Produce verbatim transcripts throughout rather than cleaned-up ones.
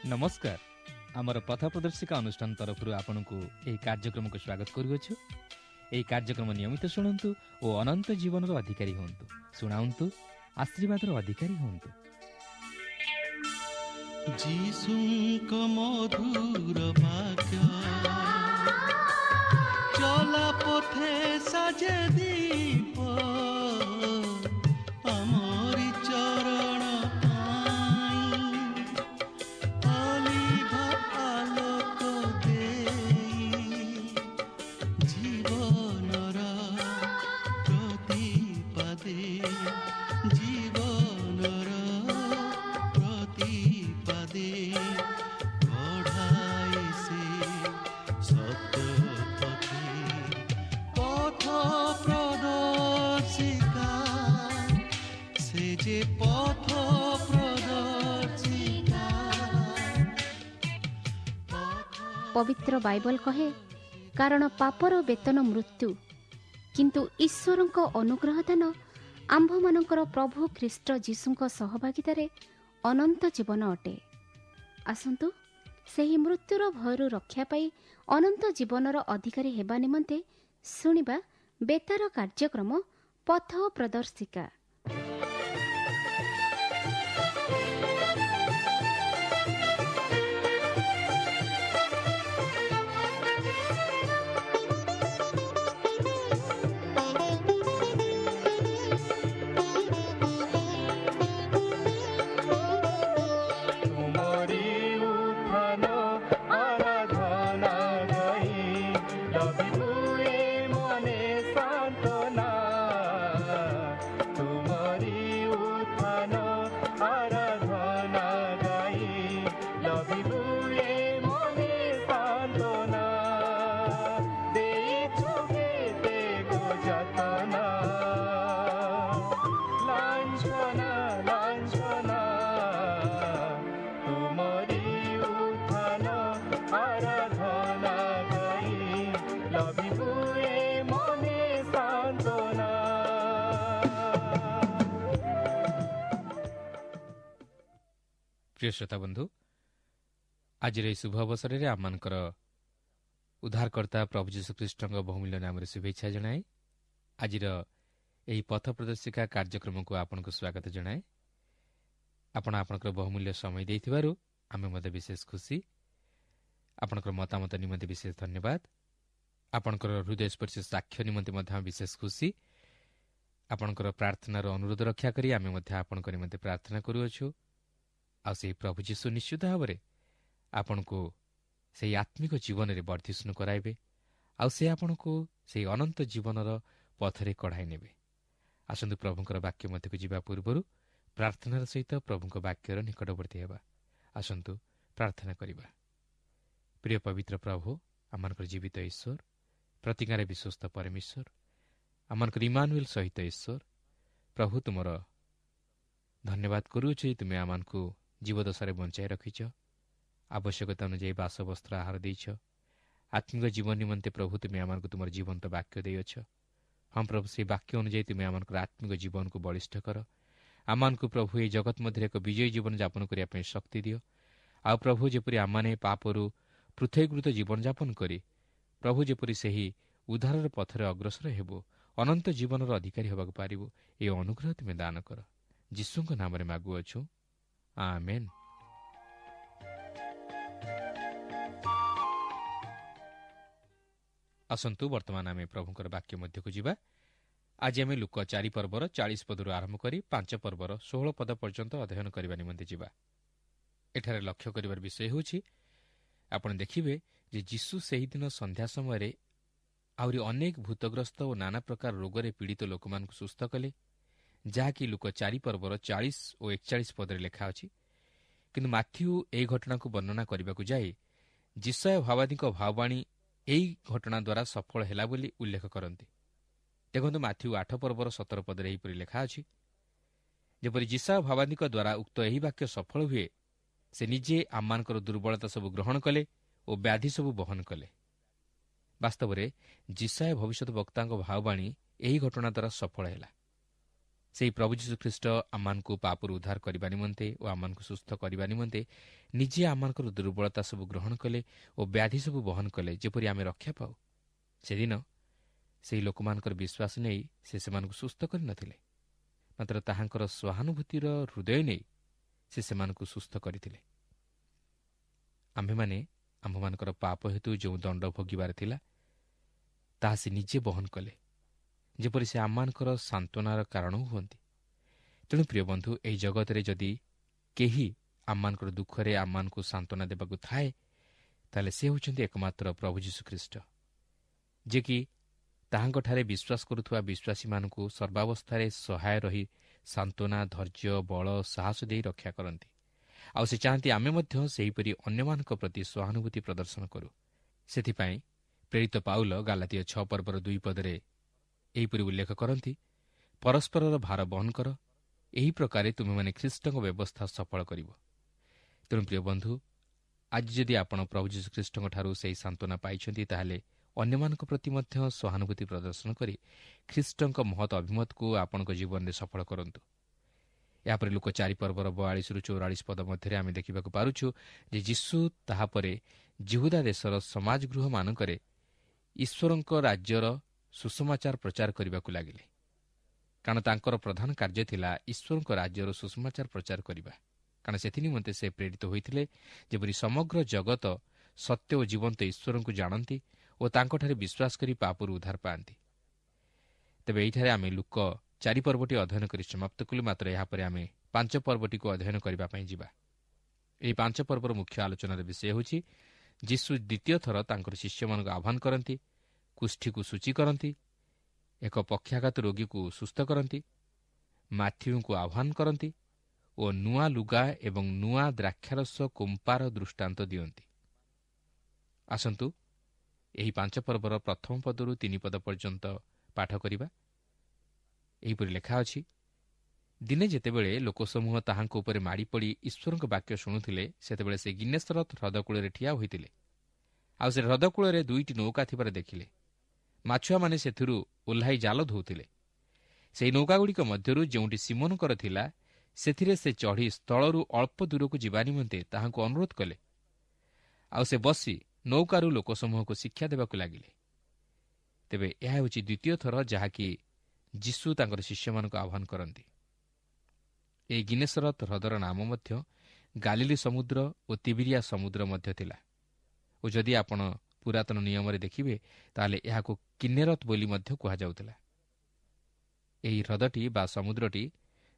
ନମସ୍କାର। ଆମର ପଥ ପ୍ରଦର୍ଶିକା ଅନୁଷ୍ଠାନ ତରଫରୁ ଆପଣଙ୍କୁ ଏହି କାର୍ଯ୍ୟକ୍ରମକୁ ସ୍ୱାଗତ କରୁଅଛୁ। ଏହି କାର୍ଯ୍ୟକ୍ରମ ନିୟମିତ ଶୁଣନ୍ତୁ ଓ ଅନନ୍ତ ଜୀବନର ଅଧିକାରୀ ହୁଅନ୍ତୁ। ଶୁଣାନ୍ତୁ, ଆଶୀର୍ବାଦର ଅଧିକାରୀ ହୁଅନ୍ତୁ। ଯୀଶୁଙ୍କ ମଧୁର ବାକ୍ୟ ଚଲା ପଥେ ସାଜେ ଦୀପ, ଆମରି ଚରଣ ପାଇଁ ଅଲିଭ ଆଲୋକ ଦେଇ, ଜୀବନର ପ୍ରତିପାଦେ, ଜୀବନର ପ୍ରତିପାଦେ କଢ଼ାଏ ସେ ସତ୍ୟ ପଥେ। ପଥ ପ୍ରଦର୍ଶିକା, ସେ ଯେ ପଥ ପ୍ରଦର୍ଶିକା। ପବିତ୍ର ବାଇବଲ କହେ, କାରଣ ପାପର ବେତନ ମୃତ୍ୟୁ, କିନ୍ତୁ ଈଶ୍ୱରଙ୍କ ଅନୁଗ୍ରହ ଦାନ ଆମ୍ଭମାନଙ୍କର ପ୍ରଭୁ ଖ୍ରୀଷ୍ଟ ଯୀଶୁଙ୍କ ସହଭାଗିତାରେ ଅନନ୍ତ ଜୀବନ ଅଟେ। ଆସନ୍ତୁ ସେହି ମୃତ୍ୟୁର ଭୟରୁ ରକ୍ଷା ପାଇ ଅନନ୍ତ ଜୀବନର ଅଧିକାରୀ ହେବା ନିମନ୍ତେ ଶୁଣିବା ବେତାର କାର୍ଯ୍ୟକ୍ରମ ପଥ ପ୍ରଦର୍ଶିକା। ତୁମରି ଉତ୍ଥାନ ଆରାଧନା ଗାଇ ଲଭିବୁ ଏ ମନେ ସାନ୍ତ୍ୱନା। ତୁମରି ଉତ୍ଥାନ ଆରାଧନା ଗାଇ ଲଭିବୁ ଏ ମନେ ସାନ୍ତ୍ୱନା। ଦେଇଛୁ କେତେ ଗୋ ଯାତନା, ଲାଞ୍ଛନା ଲାଞ୍ଛନା। ତୁମରି ଉତ୍ଥାନ ଆରାଧନା ଗାଇ ଲଭିବୁ ଏ ମନେ ସାନ୍ତ୍ୱନା। ପ୍ରିୟ ଶ୍ରୋତା ବନ୍ଧୁ, ଆଜିର ଏହି ଶୁଭ ଅବସରରେ ଆମମାନଙ୍କର ଉଦ୍ଧାରକର୍ତ୍ତା ପ୍ରଭୁ ଯୀଶୁଖ୍ରୀଷ୍ଟଙ୍କ ବହୁମୂଲ୍ୟ ନାମରେ ଶୁଭେଚ୍ଛା ଜଣାଏ ଆଜିର ଏହି ପଥ ପ୍ରଦର୍ଶିକା କାର୍ଯ୍ୟକ୍ରମକୁ ଆପଣଙ୍କୁ ସ୍ୱାଗତ ଜଣାଏ। ଆପଣ ଆପଣଙ୍କର ବହୁମୂଲ୍ୟ ସମୟ ଦେଇଥିବାରୁ ଆମେ ମଧ୍ୟ ବିଶେଷ ଖୁସି। ଆପଣଙ୍କର ମତାମତ ନିମନ୍ତେ ବିଶେଷ ଧନ୍ୟବାଦ। ଆପଣଙ୍କର ହୃଦୟସ୍ପର୍ଶୀ ସାକ୍ଷ୍ୟ ନିମନ୍ତେ ମଧ୍ୟ ଆମେ ବିଶେଷ ଖୁସି। ଆପଣଙ୍କର ପ୍ରାର୍ଥନାର ଅନୁରୋଧ ରକ୍ଷା କରି ଆମେ ମଧ୍ୟ ଆପଣଙ୍କ ନିମନ୍ତେ ପ୍ରାର୍ଥନା କରୁଅଛୁ। ଆଉ ସେହି ପ୍ରଭୁ ଯୀଶୁ ନିଶ୍ଚିତ ଭାବରେ ଆପଣଙ୍କୁ ସେହି ଆତ୍ମିକ ଜୀବନରେ ବର୍ଦ୍ଧିଷ୍ଣୁ କରାଇବେ, ଆଉ ସେ ଆପଣଙ୍କୁ ସେହି ଅନନ୍ତ ଜୀବନର ପଥରେ କଢ଼ାଇ ନେବେ। ଆସନ୍ତୁ ପ୍ରଭୁଙ୍କର ବାକ୍ୟ ମଧ୍ୟକୁ ଯିବା ପୂର୍ବରୁ ପ୍ରାର୍ଥନାର ସହିତ ପ୍ରଭୁଙ୍କ ବାକ୍ୟର ନିକଟବର୍ତ୍ତୀ ହେବା। ଆସନ୍ତୁ ପ୍ରାର୍ଥନା କରିବା। ପ୍ରିୟ ପବିତ୍ର ପ୍ରଭୁ, ଆମମାନଙ୍କର ଜୀବିତ ଈଶ୍ୱର, ପ୍ରତିଜ୍ଞାରେ ବିଶ୍ୱସ୍ତ ପରମେଶ୍ୱର, ଆମମାନଙ୍କର ଇମାନୁଏଲ ସହିତ ଈଶ୍ୱର ପ୍ରଭୁ, ତୁମର ଧନ୍ୟବାଦ କରୁଅଛୁ ଯେ ତୁମେ ଆମମାନଙ୍କୁ ଜୀବଦଶାରେ ବଞ୍ଚାଇ ରଖିଛ, ଆବଶ୍ୟକତା ଅନୁଯାୟୀ ବାସବସ୍ତ୍ର ଆହାର ଦେଇଛ। ଆତ୍ମିକ ଜୀବନ ନିମନ୍ତେ ପ୍ରଭୁ ତୁମେ ଆମମାନଙ୍କୁ ତୁମର ଜୀବନ୍ତ ବାକ୍ୟ ଦେଇଅଛ। ହଁ ପ୍ରଭୁ, ସେହି ବାକ୍ୟ ଅନୁଯାୟୀ ତୁମେ ଆମମାନଙ୍କର ଆତ୍ମିକ ଜୀବନକୁ ବଳିଷ୍ଠ କର। ଆମମାନଙ୍କୁ ପ୍ରଭୁ ଏହି ଜଗତ ମଧ୍ୟରେ ଏକ ବିଜୟୀ ଜୀବନ ଯାପନ କରିବା ପାଇଁ ଶକ୍ତି ଦିଅ। ଆଉ ପ୍ରଭୁ ଯେପରି ଆମମାନେ ପାପରୁ ପୃଥକୀକୃତ ଜୀବନଯାପନ କରି ପ୍ରଭୁ ଯେପରି ସେହି ଉଦ୍ଧାରର ପଥରେ ଅଗ୍ରସର ହେବୁ, ଅନନ୍ତ ଜୀବନର ଅଧିକାରୀ ହେବାକୁ ପାରିବୁ, ଏହି ଅନୁଗ୍ରହ ତୁମେ ଦାନ କର। ଯୀଶୁଙ୍କ ନାମରେ ମାଗୁଅଛୁ, ଆମେନ୍। ଆସନ୍ତୁ ବର୍ତ୍ତମାନ ଆମେ ପ୍ରଭୁଙ୍କର ବାକ୍ୟ ମଧ୍ୟକୁ ଯିବା। ଆଜି ଆମେ ଲୂକ ଚାରି ପର୍ବର ଚାଳିଶ ପଦରୁ ଆରମ୍ଭ କରି ପାଞ୍ଚ ପର୍ବର ଷୋହଳ ପଦ ପର୍ଯ୍ୟନ୍ତ ଅଧ୍ୟୟନ କରିବା ନିମନ୍ତେ ଯିବା। ଏଠାରେ ଲକ୍ଷ୍ୟ କରିବାର ବିଷୟ ହେଉଛି, ଆପଣ ଦେଖିବେ ଯେ ଯୀଶୁ ସେହିଦିନ ସନ୍ଧ୍ୟା ସମୟରେ ଆହୁରି ଅନେକ ଭୂତଗ୍ରସ୍ତ ଓ ନାନା ପ୍ରକାର ରୋଗରେ ପୀଡ଼ିତ ଲୋକମାନଙ୍କୁ ସୁସ୍ଥ କଲେ, ଯାହାକି ଲୂକ ଚାରି ପର୍ବର ଚାଳିଶ ଓ ଏକଚାଳିଶ ପଦରେ ଲେଖା ଅଛି। କିନ୍ତୁ ମାଥ୍ୟୁ ଏହି ଘଟଣାକୁ ବର୍ଣ୍ଣନା କରିବାକୁ ଯାଇ ଯିଶାଇୟ ଭାବାଦୀଙ୍କ ଭାବବାଣୀ ଏହି ଘଟଣା ଦ୍ୱାରା ସଫଳ ହେଲା ବୋଲି ଉଲ୍ଲେଖ କରନ୍ତି। ଦେଖନ୍ତୁ ମାଥ୍ୟୁ ଆଠ ପର୍ବର ସତର ପଦରେ ଏହିପରି ଲେଖା ଅଛି, ଯେପରି ଯିଶାଇୟ ଭାବାଦୀଙ୍କ ଦ୍ୱାରା ଉକ୍ତ ଏହି ବାକ୍ୟ ସଫଳ ହୁଏ, ସେ ନିଜେ ଆମମାନଙ୍କର ଦୁର୍ବଳତା ସବୁ ଗ୍ରହଣ କଲେ ଓ ବ୍ୟାଧି ସବୁ ବହନ କଲେ। ବାସ୍ତବରେ ଯିଶାଇୟ ଭବିଷ୍ୟତ ବକ୍ତାଙ୍କ ଭାବବାଣୀ ଏହି ଘଟଣା ଦ୍ୱାରା ସଫଳ ହେଲା। ସେହି ପ୍ରଭୁ ଯୀଶୁଖ୍ରୀଷ୍ଟ ଆମମାନଙ୍କୁ ପାପରୁ ଉଦ୍ଧାର କରିବା ନିମନ୍ତେ ଓ ଆମମାନଙ୍କୁ ସୁସ୍ଥ କରିବା ନିମନ୍ତେ ନିଜେ ଆମମାନଙ୍କର ଦୁର୍ବଳତା ସବୁ ଗ୍ରହଣ କଲେ ଓ ବ୍ୟାଧି ସବୁ ବହନ କଲେ, ଯେପରି ଆମେ ରକ୍ଷା ପାଉ। ସେଦିନ ସେହି ଲୋକମାନଙ୍କର ବିଶ୍ୱାସ ନେଇ ସେ ସେମାନଙ୍କୁ ସୁସ୍ଥ କରିନଥିଲେ, ମାତ୍ର ତାହାଙ୍କର ସହାନୁଭୂତିର ହୃଦୟ ନେଇ ସେ ସେମାନଙ୍କୁ ସୁସ୍ଥ କରିଥିଲେ। ଆମ୍ଭେମାନେ ଆମ୍ଭମାନଙ୍କର ପାପ ହେତୁ ଯେଉଁ ଦଣ୍ଡ ଭୋଗିବାର ଥିଲା, ତାହା ସେ ନିଜେ ବହନ କଲେ, ଯେପରି ସେ ଆମମାନଙ୍କର ସାନ୍ତ୍ୱନାର କାରଣ ହୁଅନ୍ତି। ତେଣୁ ପ୍ରିୟ ବନ୍ଧୁ, ଏହି ଜଗତରେ ଯଦି କେହି ଆମମାନଙ୍କର ଦୁଃଖରେ ଆମମାନଙ୍କୁ ସାନ୍ତ୍ୱନା ଦେବାକୁ ଥାଏ, ତାହେଲେ ସେ ହେଉଛନ୍ତି ଏକମାତ୍ର ପ୍ରଭୁ ଯୀଶୁଖ୍ରୀଷ୍ଟ, ଯିଏକି ତାହାଙ୍କଠାରେ ବିଶ୍ୱାସ କରୁଥିବା ବିଶ୍ୱାସୀମାନଙ୍କୁ ସର୍ବାବସ୍ଥାରେ ସହାୟ ରହି ସାନ୍ତ୍ୱନା, ଧୈର୍ଯ୍ୟ, ବଳ, ସାହସ ଦେଇ ରକ୍ଷା କରନ୍ତି। ଆଉ ସେ ଚାହାନ୍ତି ଆମେ ମଧ୍ୟ ସେହିପରି ଅନ୍ୟମାନଙ୍କ ପ୍ରତି ସହାନୁଭୂତି ପ୍ରଦର୍ଶନ କରୁ। ସେଥିପାଇଁ ପ୍ରେରିତ ପାଉଲ ଗାଲାତୀୟ ଛଅ ପର୍ବର ଦୁଇ ପଦରେ ଏହିପରି ଉଲ୍ଲେଖ କରନ୍ତି, ପରସ୍ପରର ଭାର ବହନ କର, ଏହି ପ୍ରକାରେ ତୁମେମାନେ ଖ୍ରୀଷ୍ଟଙ୍କ ବ୍ୟବସ୍ଥା ସଫଳ କରିବ। ତେଣୁ ପ୍ରିୟ ବନ୍ଧୁ, ଆଜି ଯଦି ଆପଣ ପ୍ରଭୁ ଯୀଶୁଖ୍ରୀଷ୍ଟଙ୍କଠାରୁ ସେହି ସାନ୍ତ୍ୱନା ପାଇଛନ୍ତି, ତାହେଲେ ଅନ୍ୟମାନଙ୍କ ପ୍ରତି ମଧ୍ୟ ସହାନୁଭୂତି ପ୍ରଦର୍ଶନ କରି ଖ୍ରୀଷ୍ଟଙ୍କ ମହତ୍ ଅଭିମତକୁ ଆପଣଙ୍କ ଜୀବନରେ ସଫଳ କରନ୍ତୁ। ଏହାପରେ ଲୋକ ଚାରି ପର୍ବର ବୟାଳିଶରୁ ଚଉରାଳିଶ ପଦ ମଧ୍ୟରେ ଆମେ ଦେଖିବାକୁ ପାରୁଛୁ ଯେ ଯୀଶୁ ତାହାପରେ ଯିହୁଦା ଦେଶର ସମାଜଗୃହମାନଙ୍କରେ ଈଶ୍ୱରଙ୍କ ରାଜ୍ୟର ସୁସମାଚାର ପ୍ରଚାର କରିବାକୁ ଲାଗିଲେ। କାରଣ ତାଙ୍କର ପ୍ରଧାନ କାର୍ଯ୍ୟ ଥିଲା ଈଶ୍ୱରଙ୍କ ରାଜ୍ୟର ସୁସମାଚାର ପ୍ରଚାର କରିବା। କାରଣ ସେଥିନିମନ୍ତେ ସେ ପ୍ରେରିତ ହୋଇଥିଲେ, ଯେପରି ସମଗ୍ର ଜଗତ ସତ୍ୟ ଓ ଜୀବନ୍ତ ଈଶ୍ୱରଙ୍କୁ ଜାଣନ୍ତି ଓ ତାଙ୍କଠାରେ ବିଶ୍ୱାସ କରି ପାପରୁ ଉଦ୍ଧାର ପାଆନ୍ତି। ତେବେ ଏହିଠାରେ ଆମେ ଲୁକ ଚାରି ପର୍ବଟି ଅଧ୍ୟୟନ କରି ସମାପ୍ତ କଲୁ। ମାତ୍ର ଏହାପରେ ଆମେ ପାଞ୍ଚ ପର୍ବଟିକୁ ଅଧ୍ୟୟନ କରିବା ପାଇଁ ଯିବା। ଏହି ପାଞ୍ଚ ପର୍ବର ମୁଖ୍ୟ ଆଲୋଚନାର ବିଷୟ ହେଉଛି ଯୀଶୁ ଦ୍ୱିତୀୟ ଥର ତାଙ୍କର ଶିଷ୍ୟମାନଙ୍କୁ ଆହ୍ୱାନ କରନ୍ତି, କୁଷ୍ଠିକୁ ସୂଚୀ କରନ୍ତି, ଏକ ପକ୍ଷାଘାତ ରୋଗୀକୁ ସୁସ୍ଥ କରନ୍ତି, ମାଥିଉଙ୍କୁ ଆହ୍ୱାନ କରନ୍ତି ଓ ନୂଆ ଲୁଗା ଏବଂ ନୂଆ ଦ୍ରାକ୍ଷାରସ କୁମ୍ପାର ଦୃଷ୍ଟାନ୍ତ ଦିଅନ୍ତି। ଆସନ୍ତୁ ଏହି ପାଞ୍ଚ ପର୍ବର ପ୍ରଥମ ପଦରୁ ତିନି ପଦ ପର୍ଯ୍ୟନ୍ତ ପାଠ କରିବା। ଏହିପରି ଲେଖା ଅଛି, ଦିନେ ଯେତେବେଳେ ଲୋକସମୂହ ତାହାଙ୍କ ଉପରେ ମାଡ଼ି ପଡ଼ି ଈଶ୍ୱରଙ୍କ ବାକ୍ୟ ଶୁଣୁଥିଲେ, ସେତେବେଳେ ସେ ଗିନେସରତ ହ୍ରଦକୂଳରେ ଠିଆ ହୋଇଥିଲେ। ଆଉ ସେ ହ୍ରଦକୂଳରେ ଦୁଇଟି ନୌକା ଥିବାର ଦେଖିଲେ। ମାଛୁଆମାନେ ସେଥିରୁ ଓହ୍ଲାଇ ଜାଲ ଧୋଉଥିଲେ। ସେହି ନୌକାଗୁଡ଼ିକ ମଧ୍ୟରୁ ଯେଉଁଟି ସିମୋନଙ୍କର ଥିଲା, ସେଥିରେ ସେ ଚଢ଼ି ସ୍ଥଳରୁ ଅଳ୍ପ ଦୂରକୁ ଯିବା ନିମନ୍ତେ ତାହାଙ୍କୁ ଅନୁରୋଧ କଲେ। ଆଉ ସେ ବସି ନୌକାରୁ ଲୋକସମୂହକୁ ଶିକ୍ଷା ଦେବାକୁ ଲାଗିଲେ। ତେବେ ଏହା ହେଉଛି ଦ୍ୱିତୀୟ ଥର ଯାହାକି ଯୀଶୁ ତାଙ୍କର ଶିଷ୍ୟମାନଙ୍କୁ ଆହ୍ୱାନ କରନ୍ତି। ଏହି ଗିନେସରତ ହ୍ରଦର ନାମ ମଧ୍ୟ ଗାଲିଲି ସମୁଦ୍ର ଓ ତିବିରିଆ ସମୁଦ୍ର ମଧ୍ୟ ଥିଲା। ଓ ଯଦି ଆପଣ ପୁରାତନ ନିୟମରେ ଦେଖିବେ, ତାହେଲେ ଏହାକୁ କିନ୍ନେରତ ବୋଲି ମଧ୍ୟ କୁହାଯାଉଥିଲା। ଏହି ହ୍ରଦଟି ବା ସମୁଦ୍ରଟି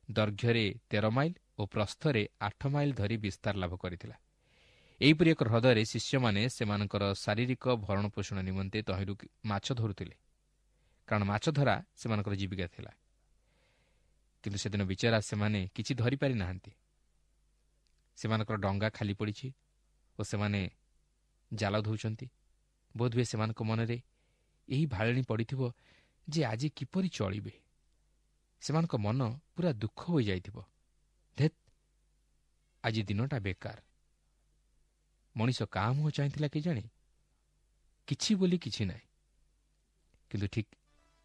ଦୈର୍ଘ୍ୟରେ ତେର ମାଇଲ ଓ ପ୍ରସ୍ଥରେ ଆଠ ମାଇଲ ଧରି ବିସ୍ତାର ଲାଭ କରିଥିଲା। ଏହିପରି ଏକ ହ୍ରଦରେ ଶିଷ୍ୟମାନେ ସେମାନଙ୍କର ଶାରୀରିକ ଭରଣପୋଷଣ ନିମନ୍ତେ ତହିଁରୁ ମାଛ ଧରୁଥିଲେ, କାରଣ ମାଛ ଧରା ସେମାନଙ୍କର ଜୀବିକା ଥିଲା। କିନ୍ତୁ ସେଦିନ ବିଚରା ସେମାନେ କିଛି ଧରିପାରି ନାହାନ୍ତି। ସେମାନଙ୍କର ଡଙ୍ଗା ଖାଲି ପଡ଼ିଛି ଓ ସେମାନେ ଜାଲ ଧୋଉଛନ୍ତି। ବୋଧହୁଏ ସେମାନଙ୍କ ମନରେ ଏହି ଭାଳେଣି ପଡ଼ିଥିବ ଯେ ଆଜି କିପରି ଚଳିବେ। ସେମାନଙ୍କ ମନ ପୁରା ଦୁଃଖ ହୋଇଯାଇଥିବ। ଧେତ୍, ଆଜି ଦିନଟା ବେକାର। ମଣିଷ କାହା ମୁହଁ ଚାହିଁଥିଲା କେଜାଣି, କିଛି ବୋଲି କିଛି ନାହିଁ। କିନ୍ତୁ ଠିକ୍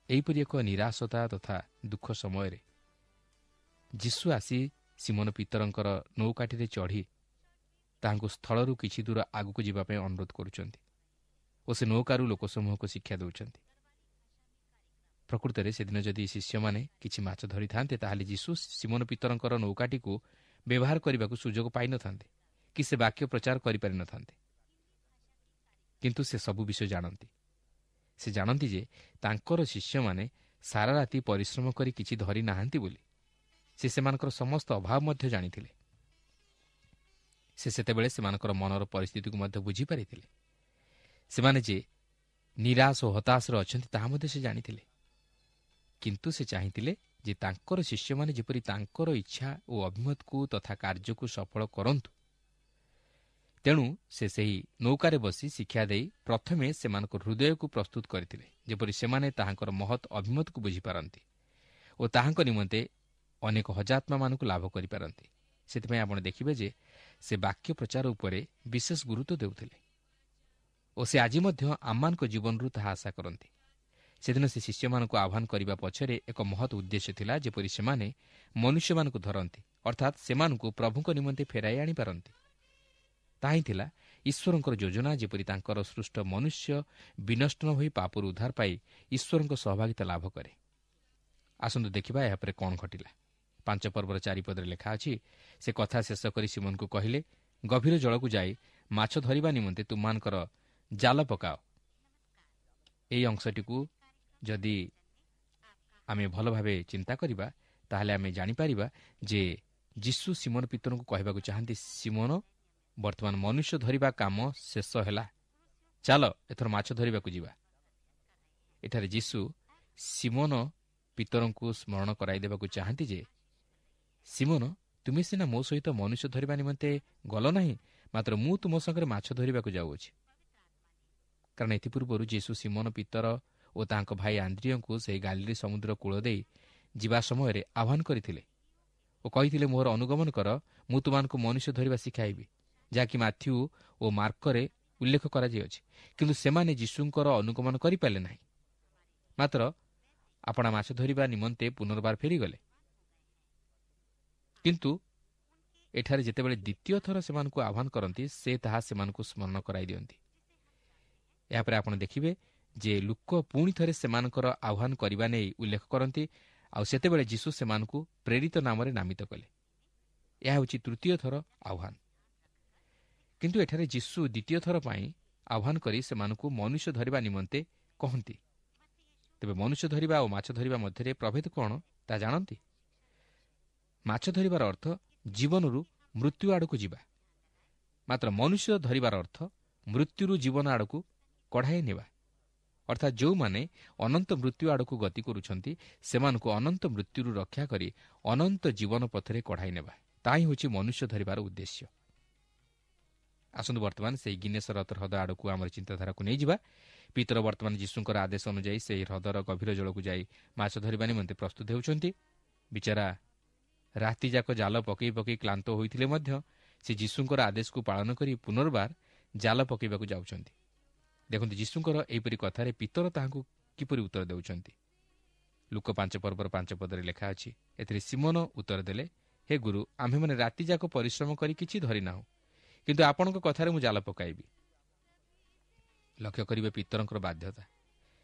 ଏହିପରି ଏକ ନିରାଶତା ତଥା ଦୁଃଖ ସମୟରେ ଯୀଶୁ ଆସି ସିମୋନ ପିତରଙ୍କର ନୌକାଟିରେ ଚଢ଼ି ତାହାଙ୍କୁ ସ୍ଥଳରୁ କିଛି ଦୂର ଆଗକୁ ଯିବା ପାଇଁ ଅନୁରୋଧ କରୁଛନ୍ତି ଓ ସେ ନୌକାରୁ ଲୋକସମୂହକୁ ଶିକ୍ଷା ଦେଉଛନ୍ତି। ପ୍ରକୃତରେ ସେଦିନ ଯଦି ଶିଷ୍ୟମାନେ କିଛି ମାଛ ଧରିଥାନ୍ତେ, ତାହେଲେ ଯୀଶୁ ସିମୋନ ପିତରଙ୍କର ନୌକାଟିକୁ ବ୍ୟବହାର କରିବାକୁ ସୁଯୋଗ ପାଇନଥାନ୍ତେ କି ସେ ବାକ୍ୟ ପ୍ରଚାର କରିପାରିନଥାନ୍ତେ। କିନ୍ତୁ ସେ ସବୁ ବିଷୟ ଜାଣନ୍ତି। ସେ ଜାଣନ୍ତି ଯେ ତାଙ୍କର ଶିଷ୍ୟମାନେ ସାରା ରାତି ପରିଶ୍ରମ କରି କିଛି ଧରି ନାହାନ୍ତି ବୋଲି। ସେ ସେମାନଙ୍କର ସମସ୍ତ ଅଭାବ ମଧ୍ୟ ଜାଣିଥିଲେ। ସେ ସେତେବେଳେ ସେମାନଙ୍କର ମନର ପରିସ୍ଥିତିକୁ ମଧ୍ୟ ବୁଝିପାରିଥିଲେ। ସେମାନେ ଯେ ନିରାଶ ଓ ହତାଶରେ ଅଛନ୍ତି ତାହା ମଧ୍ୟ ସେ ଜାଣିଥିଲେ। କିନ୍ତୁ ସେ ଚାହିଁଥିଲେ ଯେ ତାଙ୍କର ଶିଷ୍ୟମାନେ ଯେପରି ତାଙ୍କର ଇଚ୍ଛା ଓ ଅଭିମତକୁ ତଥା କାର୍ଯ୍ୟକୁ ସଫଳ କରନ୍ତୁ। ତେଣୁ ସେ ସେହି ନୌକାରେ ବସି ଶିକ୍ଷା ଦେଇ ପ୍ରଥମେ ସେମାନଙ୍କ ହୃଦୟକୁ ପ୍ରସ୍ତୁତ କରିଥିଲେ, ଯେପରି ସେମାନେ ତାହାଙ୍କର ମହତ୍ ଅଭିମତକୁ ବୁଝିପାରନ୍ତି ଓ ତାହାଙ୍କ ନିମନ୍ତେ ଅନେକ ହଜାତ୍ମାମାନଙ୍କୁ ଲାଭ କରିପାରନ୍ତି। ସେଥିପାଇଁ ଆପଣ ଦେଖିବେ ଯେ ସେ ବାକ୍ୟ ପ୍ରଚାର ଉପରେ ବିଶେଷ ଗୁରୁତ୍ୱ ଦେଉଥିଲେ ଓ ସେ ଆଜି ମଧ୍ୟ ଆମମାନଙ୍କ ଜୀବନରୁ ତାହା ଆଶା କରନ୍ତି। ସେଦିନ ସେ ଶିଷ୍ୟମାନଙ୍କୁ ଆହ୍ୱାନ କରିବା ପଛରେ ଏକ ମହତ୍ ଉଦ୍ଦେଶ୍ୟ ଥିଲା, ଯେପରି ସେମାନେ ମନୁଷ୍ୟମାନଙ୍କୁ ଧରନ୍ତି, ଅର୍ଥାତ୍ ସେମାନଙ୍କୁ ପ୍ରଭୁଙ୍କ ନିମନ୍ତେ ଫେରାଇ ଆଣିପାରନ୍ତି। ତାହା ହିଁ ଥିଲା ଈଶ୍ୱରଙ୍କର ଯୋଜନା, ଯେପରି ତାଙ୍କର ସୃଷ୍ଟ ମନୁଷ୍ୟ ବିନଷ୍ଟ ନ ହୋଇ ପାପରୁ ଉଦ୍ଧାର ପାଇ ଈଶ୍ୱରଙ୍କ ସହଭାଗିତା ଲାଭ କରେ। ଆସନ୍ତୁ ଦେଖିବା ଏହାପରେ କ'ଣ ଘଟିଲା। ପାଞ୍ଚ ପର୍ବର ଚାରିପଦରେ ଲେଖା ଅଛି, ସେ କଥା ଶେଷ କରି ସିମୋନକୁ କହିଲେ, ଗଭୀର ଜଳକୁ ଯାଇ ମାଛ ଧରିବା ନିମନ୍ତେ ତୁମମାନଙ୍କର ଜାଲ ପକାଅ। ଏହି ଅଂଶଟିକୁ ଯଦି ଆମେ ଭଲ ଭାବେ ଚିନ୍ତା କରିବା, ତାହେଲେ ଆମେ ଜାଣିପାରିବା ଯେ ଯୀଶୁ ସିମୋନ ପିତରଙ୍କୁ କହିବାକୁ ଚାହାନ୍ତି, ସିମୋନ, ବର୍ତ୍ତମାନ ମନୁଷ୍ୟ ଧରିବା କାମ ଶେଷ ହେଲା, ଚାଲ ଏଥର ମାଛ ଧରିବାକୁ ଯିବା। ଏଠାରେ ଯୀଶୁ ସିମୋନ ପିତରଙ୍କୁ ସ୍ମରଣ କରାଇ ଦେବାକୁ ଚାହାନ୍ତି ଯେ, ସିମୋନ, ତୁମେ ସିନା ମୋ ସହିତ ମନୁଷ୍ୟ ଧରିବା ନିମନ୍ତେ ଗଲ ନାହିଁ, ମାତ୍ର ମୁଁ ତୁମ ସାଙ୍ଗରେ ମାଛ ଧରିବାକୁ ଯାଉଅଛି। କାରଣ ଏଥିପୂର୍ବରୁ ଯୀଶୁ ସିମୋନ ପିତର ଓ ତାଙ୍କ ଭାଇ ଆନ୍ଦ୍ରିୟଙ୍କୁ ସେହି ଗାଲିଲି ସମୁଦ୍ର କୂଳ ଦେଇ ଯିବା ସମୟରେ ଆହ୍ୱାନ କରିଥିଲେ ଓ କହିଥିଲେ, ମୋର ଅନୁଗମନ କର, ମୁଁ ତୁମମାନଙ୍କୁ ମନୁଷ୍ୟ ଧରିବା ଶିଖାଇବି, ଯାହାକି ମାଥ୍ୟୁ ଓ ମାର୍କରେ ଉଲ୍ଲେଖ କରାଯାଇଅଛି। କିନ୍ତୁ ସେମାନେ ଯୀଶୁଙ୍କର ଅନୁଗମନ କରିପାରିଲେ ନାହିଁ, ମାତ୍ର ଆପଣା ମାଛ ଧରିବା ନିମନ୍ତେ ପୁନର୍ବାର ଫେରିଗଲେ। କିନ୍ତୁ ଏଠାରେ ଯେତେବେଳେ ଦ୍ୱିତୀୟ ଥର ସେମାନଙ୍କୁ ଆହ୍ୱାନ କରନ୍ତି, ସେ ତାହା ସେମାନଙ୍କୁ ସ୍ମରଣ କରାଇ ଦିଅନ୍ତି। ଏହାପରେ ଆପଣ ଦେଖିବେ ଯେ ଲୁକ ପୁଣି ଥରେ ସେମାନଙ୍କର ଆହ୍ୱାନ କରିବା ନେଇ ଉଲ୍ଲେଖ କରନ୍ତି, ଆଉ ସେତେବେଳେ ଯୀଶୁ ସେମାନଙ୍କୁ ପ୍ରେରିତ ନାମରେ ନାମିତ କଲେ। ଏହା ହେଉଛି ତୃତୀୟ ଥର ଆହ୍ୱାନ। କିନ୍ତୁ ଏଠାରେ ଯୀଶୁ ଦ୍ୱିତୀୟ ଥର ପାଇଁ ଆହ୍ୱାନ କରି ସେମାନଙ୍କୁ ମନୁଷ୍ୟ ଧରିବା ନିମନ୍ତେ କହନ୍ତି। ତେବେ ମନୁଷ୍ୟ ଧରିବା ଓ ମାଛ ଧରିବା ମଧ୍ୟରେ ପ୍ରଭେଦ କ'ଣ ତାହା ଜାଣନ୍ତି? ମାଛ ଧରିବାର ଅର୍ଥ ଜୀବନରୁ ମୃତ୍ୟୁ ଆଡ଼କୁ ଯିବା, ମାତ୍ର ମନୁଷ୍ୟ ଧରିବାର ଅର୍ଥ ମୃତ୍ୟୁରୁ ଜୀବନ ଆଡ଼କୁ କଢ଼ାଇ ନେବା। ଅର୍ଥାତ୍ ଯେଉଁମାନେ ଅନନ୍ତ ମୃତ୍ୟୁ ଆଡ଼କୁ ଗତି କରୁଛନ୍ତି, ସେମାନଙ୍କୁ ଅନନ୍ତ ମୃତ୍ୟୁରୁ ରକ୍ଷା କରି ଅନନ୍ତ ଜୀବନ ପଥରେ କଢ଼ାଇ ନେବା, ତାହା ହିଁ ହେଉଛି ମନୁଷ୍ୟ ଧରିବାର ଉଦ୍ଦେଶ୍ୟ। ଆସନ୍ତୁ ବର୍ତ୍ତମାନ ସେହି ଗିନେସରତ ହ୍ରଦ ଆଡ଼କୁ ଆମର ଚିନ୍ତାଧାରାକୁ ନେଇଯିବା। ପିତର ବର୍ତ୍ତମାନ ଯୀଶୁଙ୍କର ଆଦେଶ ଅନୁଯାୟୀ ସେହି ହ୍ରଦର ଗଭୀର ଜଳକୁ ଯାଇ ମାଛ ଧରିବା ନିମନ୍ତେ ପ୍ରସ୍ତୁତ ହେଉଛନ୍ତି। ବିଚାରା ରାତିଯାକ ଜାଲ ପକାଇ ପକାଇ କ୍ଳାନ୍ତ ହୋଇଥିଲେ ମଧ୍ୟ ସେ ଯୀଶୁଙ୍କର ଆଦେଶକୁ ପାଳନ କରି ପୁନର୍ବାର ଜାଲ ପକାଇବାକୁ ଯାଉଛନ୍ତି। ଦେଖନ୍ତୁ ଯୀଶୁଙ୍କର ଏହିପରି କଥାରେ ପିତର ତାହାଙ୍କୁ କିପରି ଉତ୍ତର ଦେଉଛନ୍ତି। ଲୁକ ପାଞ୍ଚ ପର୍ବର ପାଞ୍ଚ ପଦରେ ଲେଖା ଅଛି, ଏଥିରେ ସିମୋନ ଉତ୍ତର ଦେଲେ, ହେ ଗୁରୁ, ଆମ୍ଭେମାନେ ରାତିଯାକ ପରିଶ୍ରମ କରି କିଛି ଧରିନାହୁଁ, କିନ୍ତୁ ଆପଣଙ୍କ କଥାରେ ମୁଁ ଜାଲ ପକାଇବି। ଲକ୍ଷ୍ୟ କରିବେ ପିତରଙ୍କର ବାଧ୍ୟତା।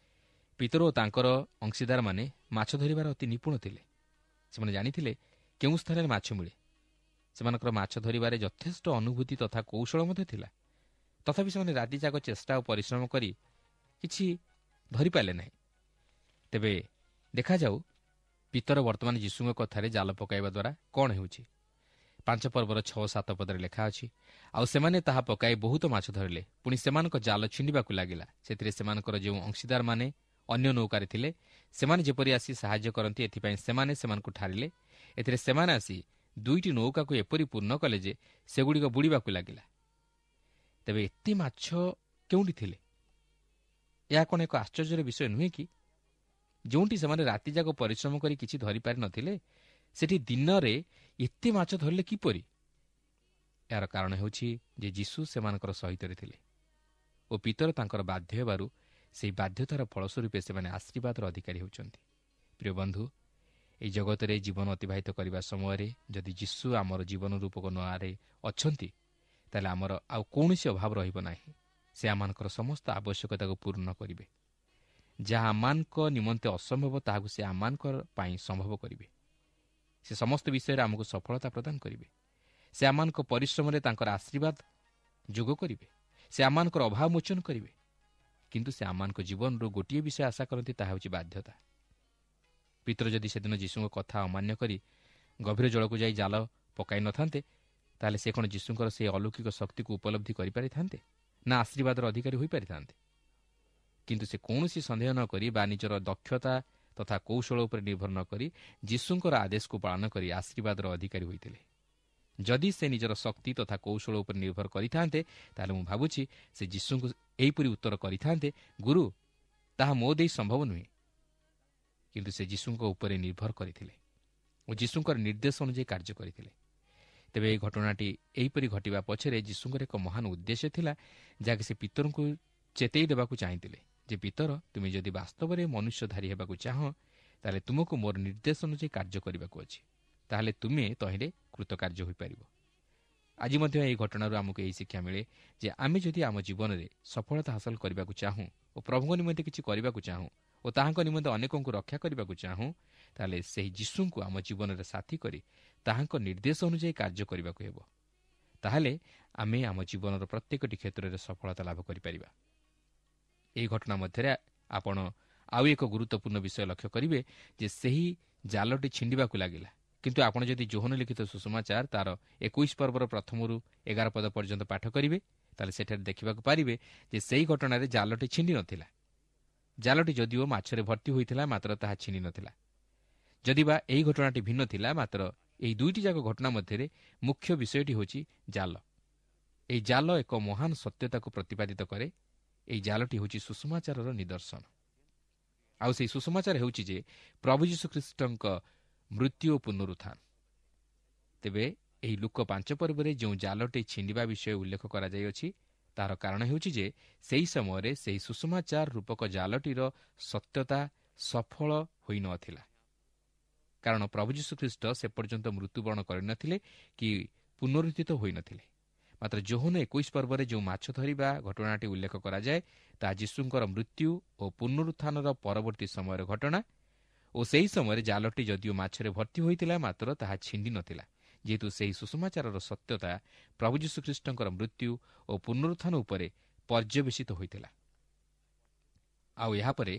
ପିତର ଓ ତାଙ୍କର ଅଂଶୀଦାରମାନେ ମାଛ ଧରିବାର ଅତି ନିପୁଣ ଥିଲେ। ସେମାନେ ଜାଣିଥିଲେ କେଉଁ ସ୍ଥାନରେ ମାଛ ମିଳେ। ସେମାନଙ୍କର ମାଛ ଧରିବାରେ ଯଥେଷ୍ଟ ଅନୁଭୂତି ତଥା କୌଶଳ ମଧ୍ୟ ଥିଲା। ତଥାପି ସେମାନେ ରାତିଯାକ ଚେଷ୍ଟା ଓ ପରିଶ୍ରମ କରି କିଛି ଧରିପାରିଲେ ନାହିଁ। ତେବେ ଦେଖାଯାଉ ପିତର ବର୍ତ୍ତମାନ ଯୀଶୁଙ୍କ କଥାରେ ଜାଲ ପକାଇବା ଦ୍ୱାରା କ'ଣ ହେଉଛି। ପାଞ୍ଚ ପର୍ବର ଛଅ ସାତ ପଦରେ ଲେଖା ଅଛି, ଆଉ ସେମାନେ ତାହା ପକାଇ ବହୁତ ମାଛ ଧରିଲେ, ପୁଣି ସେମାନଙ୍କ ଜାଲ ଛିଣ୍ଡିବାକୁ ଲାଗିଲା। ସେଥିରେ ସେମାନଙ୍କର ଯେଉଁ ଅଂଶୀଦାରମାନେ ଅନ୍ୟ ନୌକାରେ ଥିଲେ, ସେମାନେ ଯେପରି ଆସି ସାହାଯ୍ୟ କରନ୍ତି, ଏଥିପାଇଁ ସେମାନେ ସେମାନଙ୍କୁ ଠାରିଲେ। ଏଥିରେ ସେମାନେ ଆସି ଦୁଇଟି ନୌକାକୁ ଏପରି ପୂର୍ଣ୍ଣ କଲେ ଯେ ସେଗୁଡ଼ିକ ବୁଡ଼ିବାକୁ ଲାଗିଲା। ତେବେ ଏତେ ମାଛ କେଉଁଠି ଥିଲେ? ଏହା କ'ଣ ଏକ ଆଶ୍ଚର୍ଯ୍ୟର ବିଷୟ ନୁହେଁ କି? ଯେଉଁଠି ସେମାନେ ରାତିଯାକ ପରିଶ୍ରମ କରି କିଛି ଧରିପାରିନଥିଲେ, ସେଠି ଦିନରେ ଏତେ ମାଛ ଧରିଲେ କିପରି? ଏହାର କାରଣ ହେଉଛି ଯେ ଯୀଶୁ ସେମାନଙ୍କର ସହିତରେ ଥିଲେ ଓ ପିତର ତାଙ୍କର ବାଧ୍ୟ ହେବାରୁ ସେହି ବାଧ୍ୟତାର ଫଳସ୍ୱରୂପେ ସେମାନେ ଆଶୀର୍ବାଦର ଅଧିକାରୀ ହେଉଛନ୍ତି। ପ୍ରିୟ ବନ୍ଧୁ, ଏହି ଜଗତରେ ଜୀବନ ଅତିବାହିତ କରିବା ସମୟରେ ଯଦି ଯୀଶୁ ଆମର ଜୀବନ ରୂପକ ନାଁରେ ଅଛନ୍ତି, ତାହେଲେ ଆମର ଆଉ କୌଣସି ଅଭାବ ରହିବ ନାହିଁ। ସେ ଆମମାନଙ୍କର ସମସ୍ତ ଆବଶ୍ୟକତାକୁ ପୂର୍ଣ୍ଣ କରିବେ। ଯାହା ଆମମାନଙ୍କ ନିମନ୍ତେ ଅସମ୍ଭବ, ତାହାକୁ ସେ ଆମମାନଙ୍କ ପାଇଁ ସମ୍ଭବ କରିବେ। ସେ ସମସ୍ତ ବିଷୟରେ ଆମକୁ ସଫଳତା ପ୍ରଦାନ କରିବେ। ସେ ଆମମାନଙ୍କ ପରିଶ୍ରମରେ ତାଙ୍କର ଆଶୀର୍ବାଦ ଯୋଗ କରିବେ। ସେ ଆମମାନଙ୍କର ଅଭାବ ମୋଚନ କରିବେ। କିନ୍ତୁ ସେ ଆମମାନଙ୍କ ଜୀବନରୁ ଗୋଟିଏ ବିଷୟ ଆଶା କରନ୍ତି, ତାହା ହେଉଛି ବାଧ୍ୟତା। ପିତର ଯଦି ସେଦିନ ଯୀଶୁଙ୍କ କଥା ଅମାନ୍ୟ କରି ଗଭୀର ଜଳକୁ ଯାଇ ଜାଲ ପକାଇ ନଥାନ୍ତେ, ତାହେଲେ ସେ କ'ଣ ଯୀଶୁଙ୍କର ସେହି ଅଲୌକିକ ଶକ୍ତିକୁ ଉପଲବ୍ଧି କରିପାରିଥାନ୍ତେ ନା ଆଶୀର୍ବାଦର ଅଧିକାରୀ ହୋଇପାରିଥାନ୍ତେ? କିନ୍ତୁ ସେ କୌଣସି ସନ୍ଦେହ ନ କରି ବା ନିଜର ଦକ୍ଷତା ତଥା କୌଶଳ ଉପରେ ନିର୍ଭର ନ କରି ଯୀଶୁଙ୍କର ଆଦେଶକୁ ପାଳନ କରି ଆଶୀର୍ବାଦର ଅଧିକାରୀ ହୋଇଥିଲେ। ଯଦି ସେ ନିଜର ଶକ୍ତି ତଥା କୌଶଳ ଉପରେ ନିର୍ଭର କରିଥାନ୍ତେ, ତାହେଲେ ମୁଁ ଭାବୁଛି ସେ ଯୀଶୁଙ୍କୁ ଏହିପରି ଉତ୍ତର କରିଥାନ୍ତେ, ଗୁରୁ, ତାହା ମୋ ଦେଇ ସମ୍ଭବ ନୁହେଁ। କିନ୍ତୁ ସେ ଯୀଶୁଙ୍କ ଉପରେ ନିର୍ଭର କରିଥିଲେ ଓ ଯୀଶୁଙ୍କର ନିର୍ଦ୍ଦେଶ ଅନୁଯାୟୀ କାର୍ଯ୍ୟ କରିଥିଲେ। ତେବେ ଏହି ଘଟଣାଟି ଏହିପରି ଘଟିବା ପଛରେ ଯୀଶୁଙ୍କର ଏକ ମହାନ ଉଦ୍ଦେଶ୍ୟ ଥିଲା, ଯାହାକି ସେ ପିତରଙ୍କୁ ଚେତେଇ ଦେବାକୁ ଚାହିଁଥିଲେ, ଯେ ପିତର, ତୁମେ ଯଦି ବାସ୍ତବରେ ମନୁଷ୍ୟଧାରୀ ହେବାକୁ ଚାହଁ, ତାହେଲେ ତୁମକୁ ମୋର ନିର୍ଦ୍ଦେଶ ଅନୁଯାୟୀ କାର୍ଯ୍ୟ କରିବାକୁ ଅଛି, ତାହେଲେ ତୁମେ ତହିଁରେ କୃତକାର୍ଯ୍ୟ ହୋଇପାରିବ। ଆଜି ମଧ୍ୟ ଏହି ଘଟଣାରୁ ଆମକୁ ଏହି ଶିକ୍ଷା ମିଳେ ଯେ ଆମେ ଯଦି ଆମ ଜୀବନରେ ସଫଳତା ହାସଲ କରିବାକୁ ଚାହୁଁ ଓ ପ୍ରଭୁଙ୍କ ନିମନ୍ତେ କିଛି କରିବାକୁ ଚାହୁଁ ଓ ତାହାଙ୍କ ନିମନ୍ତେ ଅନେକଙ୍କୁ ରକ୍ଷା କରିବାକୁ ଚାହୁଁ, ତାହେଲେ ସେହି ଯୀଶୁଙ୍କୁ ଆମ ଜୀବନରେ ସାଥୀ କରି ତାହାଙ୍କ ନିର୍ଦ୍ଦେଶ ଅନୁଯାୟୀ କାର୍ଯ୍ୟ କରିବାକୁ ହେବ। ତାହେଲେ ଆମେ ଆମ ଜୀବନର ପ୍ରତ୍ୟେକଟି କ୍ଷେତ୍ରରେ ସଫଳତା ଲାଭ କରିପାରିବା। ଏହି ଘଟଣା ମଧ୍ୟରେ ଆପଣ ଆଉ ଏକ ଗୁରୁତ୍ୱପୂର୍ଣ୍ଣ ବିଷୟ ଲକ୍ଷ୍ୟ କରିବେ ଯେ ସେହି ଜାଲଟି ଛିଣ୍ଡିବାକୁ ଲାଗିଲା। କିନ୍ତୁ ଆପଣ ଯଦି ଯୋହନ ଲିଖିତ ସୁସମାଚାର ତାର ଏକୋଇଶ ପର୍ବର ପ୍ରଥମରୁ ଏଗାର ପଦ ପର୍ଯ୍ୟନ୍ତ ପାଠ କରିବେ, ତାହେଲେ ସେଠାରେ ଦେଖିବାକୁ ପାରିବେ ଯେ ସେହି ଘଟଣାରେ ଜାଲଟି ଛିଣ୍ଡି ନଥିଲା। ଜାଲଟି ଯଦିଓ ମାଛରେ ଭର୍ତ୍ତି ହୋଇଥିଲା, ମାତ୍ର ତାହା ଛିଣ୍ଡି ନଥିଲା। ଯଦିବା ଏହି ଘଟଣାଟି ଭିନ୍ନ ଥିଲା, ମାତ୍ର ଏହି ଦୁଇଟି ଯାକ ଘଟଣା ମଧ୍ୟରେ ମୁଖ୍ୟ ବିଷୟଟି ହେଉଛି ଜାଲ। ଏହି ଜାଲ ଏକ ମହାନ ସତ୍ୟତାକୁ ପ୍ରତିପାଦିତ କରେ। ଏହି ଜାଲଟି ହେଉଛି ସୁସମାଚାରର ନିଦର୍ଶନ। ଆଉ ସେହି ସୁସମାଚାର ହେଉଛି ଯେ ପ୍ରଭୁ ଯୀଶୁଖ୍ରୀଷ୍ଟଙ୍କ ମୃତ୍ୟୁ ଓ ପୁନରୁତ୍ଥାନ। ତେବେ ଏହି ଲୂକ ପାଞ୍ଚ ପର୍ବରେ ଯେଉଁ ଜାଲଟି ଛିଣ୍ଡିବା ବିଷୟ ଉଲ୍ଲେଖ କରାଯାଇଅଛି, ତାହାର କାରଣ ହେଉଛି ଯେ ସେହି ସମୟରେ ସେହି ସୁସମାଚାର ରୂପକ ଜାଲଟିର ସତ୍ୟତା ସଫଳ ହୋଇନଥିଲା। କାରଣ ପ୍ରଭୁ ଯୀଶୁଖ୍ରୀଷ୍ଟ ସେ ପର୍ଯ୍ୟନ୍ତ ମୃତ୍ୟୁବରଣ କରିନଥିଲେ କି ପୁନରୁତ୍ଥିତ ହୋଇନଥିଲେ। ମାତ୍ର ଯୋହନ ଏକୋଇଶ ପର୍ବରେ ଯେଉଁ ମାଛ ଧରିବା ଘଟଣାଟି ଉଲ୍ଲେଖ କରାଯାଏ, ତାହା ଯୀଶୁଙ୍କର ମୃତ୍ୟୁ ଓ ପୁନରୁତ୍ଥାନର ପରବର୍ତ୍ତୀ ସମୟର ଘଟଣା ଓ ସେହି ସମୟରେ ଜାଲଟି ଯଦିଓ ମାଛରେ ଭର୍ତ୍ତି ହୋଇଥିଲା, ମାତ୍ର ତାହା ଛିଣ୍ଡି ନଥିଲା, ଯେହେତୁ ସେହି ସୁସମାଚାରର ସତ୍ୟତା ପ୍ରଭୁ ଯୀଶୁଖ୍ରୀଷ୍ଟଙ୍କର ମୃତ୍ୟୁ ଓ ପୁନରୁତ୍ଥାନ ଉପରେ ପର୍ଯ୍ୟବେସିତ ହୋଇଥିଲା। ଆଉ ଏହାପରେ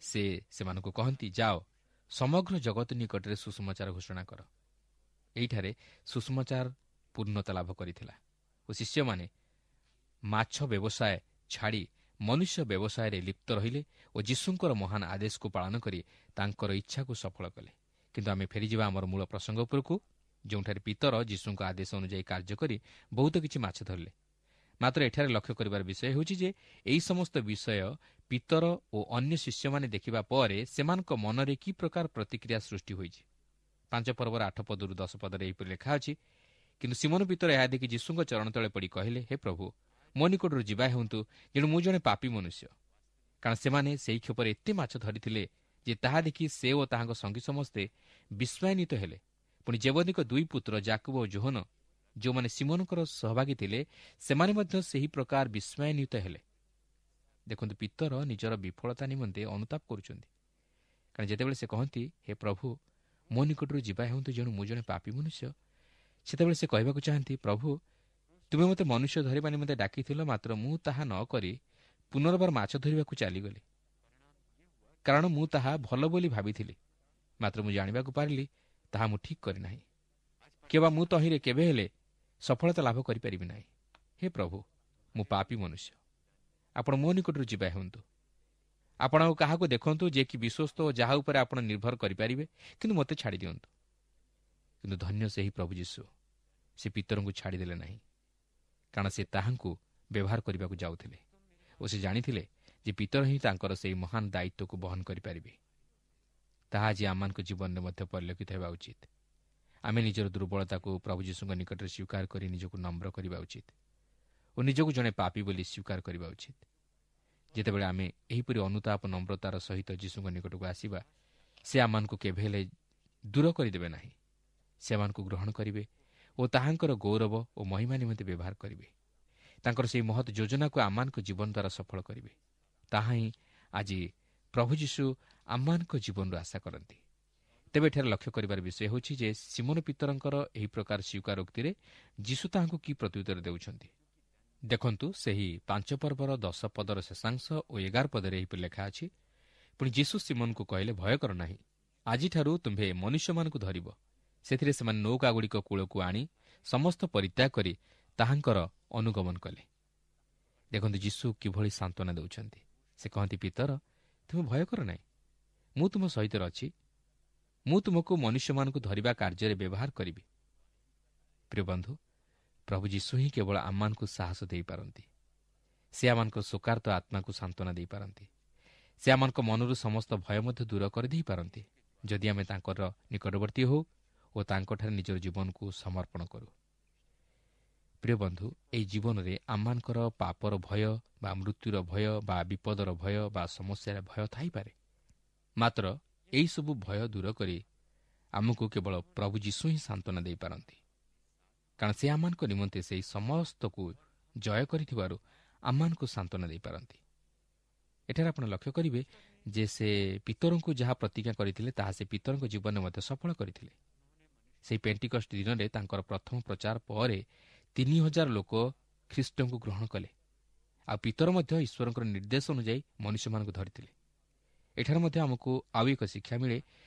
ସେ ସେମାନଙ୍କୁ କହନ୍ତି, ଯାଅ ସମଗ୍ର ଜଗତ ନିକଟରେ ସୁସମାଚାର ଘୋଷଣା କର। ଏହିଠାରେ ସୁସମାଚାର ପୂର୍ଣ୍ଣତା ଲାଭ କରିଥିଲା ଓ ଶିଷ୍ୟମାନେ ମାଛ ବ୍ୟବସାୟ ଛାଡ଼ି ମନୁଷ୍ୟ ବ୍ୟବସାୟରେ ଲିପ୍ତ ରହିଲେ ଓ ଯୀଶୁଙ୍କର ମହାନ ଆଦେଶକୁ ପାଳନ କରି ତାଙ୍କର ଇଚ୍ଛାକୁ ସଫଳ କଲେ। କିନ୍ତୁ ଆମେ ଫେରିଯିବା ଆମର ମୂଳ ପ୍ରସଙ୍ଗ ଉପରକୁ, ଯେଉଁଠାରେ ପିତର ଯୀଶୁଙ୍କ ଆଦେଶ ଅନୁଯାୟୀ କାର୍ଯ୍ୟ କରି ବହୁତ କିଛି ମାଛ ଧରିଲେ। ମାତ୍ର ଏଠାରେ ଲକ୍ଷ୍ୟ କରିବାର ବିଷୟ ହେଉଛି ଯେ ଏହି ସମସ୍ତ ବିଷୟ ପିତର ଓ ଅନ୍ୟ ଶିଷ୍ୟମାନେ ଦେଖିବା ପରେ ସେମାନଙ୍କ ମନରେ କି ପ୍ରକାର ପ୍ରତିକ୍ରିୟା ସୃଷ୍ଟି ହୋଇଛି। ପାଞ୍ଚ ପର୍ବର ଆଠ ପଦରୁ ଦଶ ପଦରେ ଏହିପରି ଲେଖା ଅଛି, କିନ୍ତୁ ସିମୋନ ପିତର ଏହା ଦେଖି ଯୀଶୁଙ୍କ ଚରଣ ତଳେ ପଡ଼ି କହିଲେ, ହେ ପ୍ରଭୁ, ମୋ ନିକଟରୁ ଯିବା ହେଉନ୍ତୁ, ଯେଣୁ ମୁଁ ଜଣେ ପାପୀ ମନୁଷ୍ୟ। କାରଣ ସେମାନେ ସେହି କ୍ଷେପରେ ଏତେ ମାଛ ଧରିଥିଲେ ଯେ ତାହା ଦେଖି ସେ ଓ ତାହାଙ୍କ ସଙ୍ଗୀ ସମସ୍ତେ ବିସ୍ମୟାନ୍ୱିତ ହେଲେ। ପୁଣି ଜେବଦୀଙ୍କ ଦୁଇ ପୁତ୍ର ଯାକୁବ ଓ ଯୋହନ, ଯେଉଁମାନେ ସିମୋନଙ୍କର ସହଭାଗୀ ଥିଲେ, ସେମାନେ ମଧ୍ୟ ସେହି ପ୍ରକାର ବିସ୍ମୟାନ୍ୱିତ ହେଲେ। ଦେଖନ୍ତୁ, ପିତର ନିଜର ବିଫଳତା ନିମନ୍ତେ ଅନୁତାପ କରୁଛନ୍ତି। କାରଣ ଯେତେବେଳେ ସେ କହନ୍ତି, ହେ ପ୍ରଭୁ, ମୋ ନିକଟରୁ ଯିବା ହେଉନ୍ତୁ, ଯେଣୁ ମୁଁ ଜଣେ ପାପୀ ମନୁଷ୍ୟ, ସେତେବେଳେ ସେ କହିବାକୁ ଚାହାନ୍ତି, ପ୍ରଭୁ, ତୁମେ ମୋତେ ମନୁଷ୍ୟ ଧରିବା ନିମନ୍ତେ ଡାକିଥିଲ, ମାତ୍ର ମୁଁ ତାହା ନ କରି ପୁନର୍ବାର ମାଛ ଧରିବାକୁ ଚାଲିଗଲି, କାରଣ ମୁଁ ତାହା ଭଲ ବୋଲି ଭାବିଥିଲି, ମାତ୍ର ମୁଁ ଜାଣିବାକୁ ପାରିଲି ତାହା ମୁଁ ଠିକ୍ କରିନାହିଁ, କିମ୍ବା ମୁଁ ତହିଁରେ କେବେ ହେଲେ ସଫଳତା ଲାଭ କରିପାରିବି ନାହିଁ। ହେ ପ୍ରଭୁ, ମୁଁ ପାପୀ ମନୁଷ୍ୟ, ଆପଣ ମୋ ନିକଟରୁ ଯିବା ହେଉନ୍ତୁ। ଆପଣ ଆଉ କାହାକୁ ଦେଖନ୍ତୁ ଯେ କି ବିଶ୍ୱସ୍ତ ଓ ଯାହା ଉପରେ ଆପଣ ନିର୍ଭର କରିପାରିବେ, କିନ୍ତୁ ମୋତେ ଛାଡ଼ି ଦିଅନ୍ତୁ। କିନ୍ତୁ ଧନ୍ୟ ସେହି ପ୍ରଭୁ ଯୀଶୁ, ସେ ପିତରଙ୍କୁ ଛାଡ଼ିଦେଲେ ନାହିଁ, କାରଣ ସେ ତାହାଙ୍କୁ ବ୍ୟବହାର କରିବାକୁ ଯାଉଥିଲେ ଓ ସେ ଜାଣିଥିଲେ ଯେ ପିତର ହିଁ ତାଙ୍କର ସେହି ମହାନ ଦାୟିତ୍ୱକୁ ବହନ କରିପାରିବେ। ତାହା ଆଜି ଆମମାନଙ୍କ ଜୀବନରେ ମଧ୍ୟ ପରିଲକ୍ଷିତ ହେବା ଉଚିତ। ଆମେ ନିଜର ଦୁର୍ବଳତାକୁ ପ୍ରଭୁ ଯୀଶୁଙ୍କ ନିକଟରେ ସ୍ୱୀକାର କରି ନିଜକୁ ନମ୍ର କରିବା ଉଚିତ ଓ ନିଜକୁ ଜଣେ ପାପୀ ବୋଲି ସ୍ୱୀକାର କରିବା ଉଚିତ। ଯେତେବେଳେ ଆମେ ଏହିପରି ଅନୁତାପ ନମ୍ରତାର ସହିତ ଯୀଶୁଙ୍କ ନିକଟକୁ ଆସିବା, ସେ ଆମମାନଙ୍କୁ କେବେ ହେଲେ ଦୂର କରିଦେବେ ନାହିଁ। ସେମାନଙ୍କୁ ଗ୍ରହଣ କରିବେ ଓ ତାହାଙ୍କର ଗୌରବ ଓ ମହିମା ନିମନ୍ତେ ବ୍ୟବହାର କରିବେ। ତାଙ୍କର ସେହି ମହତ୍ ଯୋଜନାକୁ ଆମମାନଙ୍କ ଜୀବନ ଦ୍ୱାରା ସଫଳ କରିବେ। ତାହା ହିଁ ଆଜି ପ୍ରଭୁ ଯୀଶୁ ଆମମାନଙ୍କ ଜୀବନରୁ ଆଶା କରନ୍ତି। ତେବେ ଏଠାରେ ଲକ୍ଷ୍ୟ କରିବାର ବିଷୟ ହେଉଛି ଯେ ସିମୋନ ପିତରଙ୍କର ଏହି ପ୍ରକାର ସ୍ୱୀକାରୋକ୍ତିରେ ଯୀଶୁ ତାହାଙ୍କୁ କି ପ୍ରତ୍ୟୁତ୍ତର ଦେଉଛନ୍ତି। ଦେଖନ୍ତୁ, ସେହି ପାଞ୍ଚ ପର୍ବର ଦଶ ପଦର ଶେଷାଂଶ ଓ ଏଗାର ପଦରେ ଏହିପରି ଲେଖା ଅଛି, ପୁଣି ଯୀଶୁ ସିମୋନକୁ କହିଲେ, ଭୟ କର ନାହିଁ, ଆଜିଠାରୁ ତୁମ୍ଭେ ମନୁଷ୍ୟମାନଙ୍କୁ ଧରିବ। ସେଥିରେ ସେମାନେ ନୌକାଗୁଡ଼ିକ କୂଳକୁ ଆଣି ସମସ୍ତ ପରିତ୍ୟାଗ କରି ତାହାଙ୍କର ଅନୁଗମନ କଲେ। ଦେଖନ୍ତୁ ଯୀଶୁ କିଭଳି ସାନ୍ତ୍ୱନା ଦେଉଛନ୍ତି। ସେ କହନ୍ତି, ପିତର, ତୁମେ ଭୟ କର ନାହିଁ, ମୁଁ ତୁମ ସହିତ ଅଛି, ମୁଁ ତୁମକୁ ମନୁଷ୍ୟମାନଙ୍କୁ ଧରିବା କାର୍ଯ୍ୟରେ ବ୍ୟବହାର କରିବି। ପ୍ରିୟ ବନ୍ଧୁ, ପ୍ରଭୁ ଯୀଶୁ ହିଁ କେବଳ ଆମମାନଙ୍କୁ ସାହସ ଦେଇପାରନ୍ତି। ସେ ଆମମାନଙ୍କ ଶୋକାର୍ତ୍ତ ଆତ୍ମାକୁ ସାନ୍ତ୍ୱନା ଦେଇପାରନ୍ତି। ସେ ଆମମାନଙ୍କ ମନରୁ ସମସ୍ତ ଭୟ ମଧ୍ୟ ଦୂର କରିଦେଇପାରନ୍ତି, ଯଦି ଆମେ ତାଙ୍କର ନିକଟବର୍ତ୍ତୀ ହେଉ ଓ ତାଙ୍କଠାରେ ନିଜର ଜୀବନକୁ ସମର୍ପଣ କରୁ। ପ୍ରିୟ ପ୍ରିୟ ବନ୍ଧୁ, ଏହି ଜୀବନରେ ଆମମାନଙ୍କର ପାପର ଭୟ ବା ମୃତ୍ୟୁର ଭୟ ବା ବିପଦର ଭୟ ବା ସମସ୍ୟାର ଭୟ ଥାଇପାରେ, ମାତ୍ର ଏହିସବୁ ଭୟ ଦୂର କରି ଆମକୁ କେବଳ ପ୍ରଭୁ ଯୀଶୁ ହିଁ ସାନ୍ତ୍ୱନା ଦେଇପାରନ୍ତି। କାରଣ ସେ ଆମମାନଙ୍କ ନିମନ୍ତେ ସେହି ସମସ୍ତକୁ ଜୟ କରିଥିବାରୁ ଆମମାନଙ୍କୁ ସାନ୍ତ୍ୱନା ଦେଇପାରନ୍ତି। ଏଠାରେ ଆପଣ ଲକ୍ଷ୍ୟ କରିବେ ଯେ ସେ ପିତରଙ୍କୁ ଯାହା ପ୍ରତିଜ୍ଞା କରିଥିଲେ ତାହା ସେ ପିତରଙ୍କ ଜୀବନରେ ମଧ୍ୟ ସଫଳ କରିଥିଲେ। ସେହି ପେଣ୍ଟିକଷ୍ଟ ଦିନରେ ତାଙ୍କର ପ୍ରଥମ ପ୍ରଚାର ପରେ ତିନି ହଜାର ଲୋକ ଖ୍ରୀଷ୍ଟଙ୍କୁ ଗ୍ରହଣ କଲେ। ଆଉ ପିତର ମଧ୍ୟ ଈଶ୍ୱରଙ୍କର ନିର୍ଦ୍ଦେଶ ଅନୁଯାୟୀ ମନୁଷ୍ୟମାନଙ୍କୁ ଧରିଥିଲେ। ଏଠାରେ ମଧ୍ୟ ଆମକୁ ଆଉ ଏକ ଶିକ୍ଷା ମିଳେ,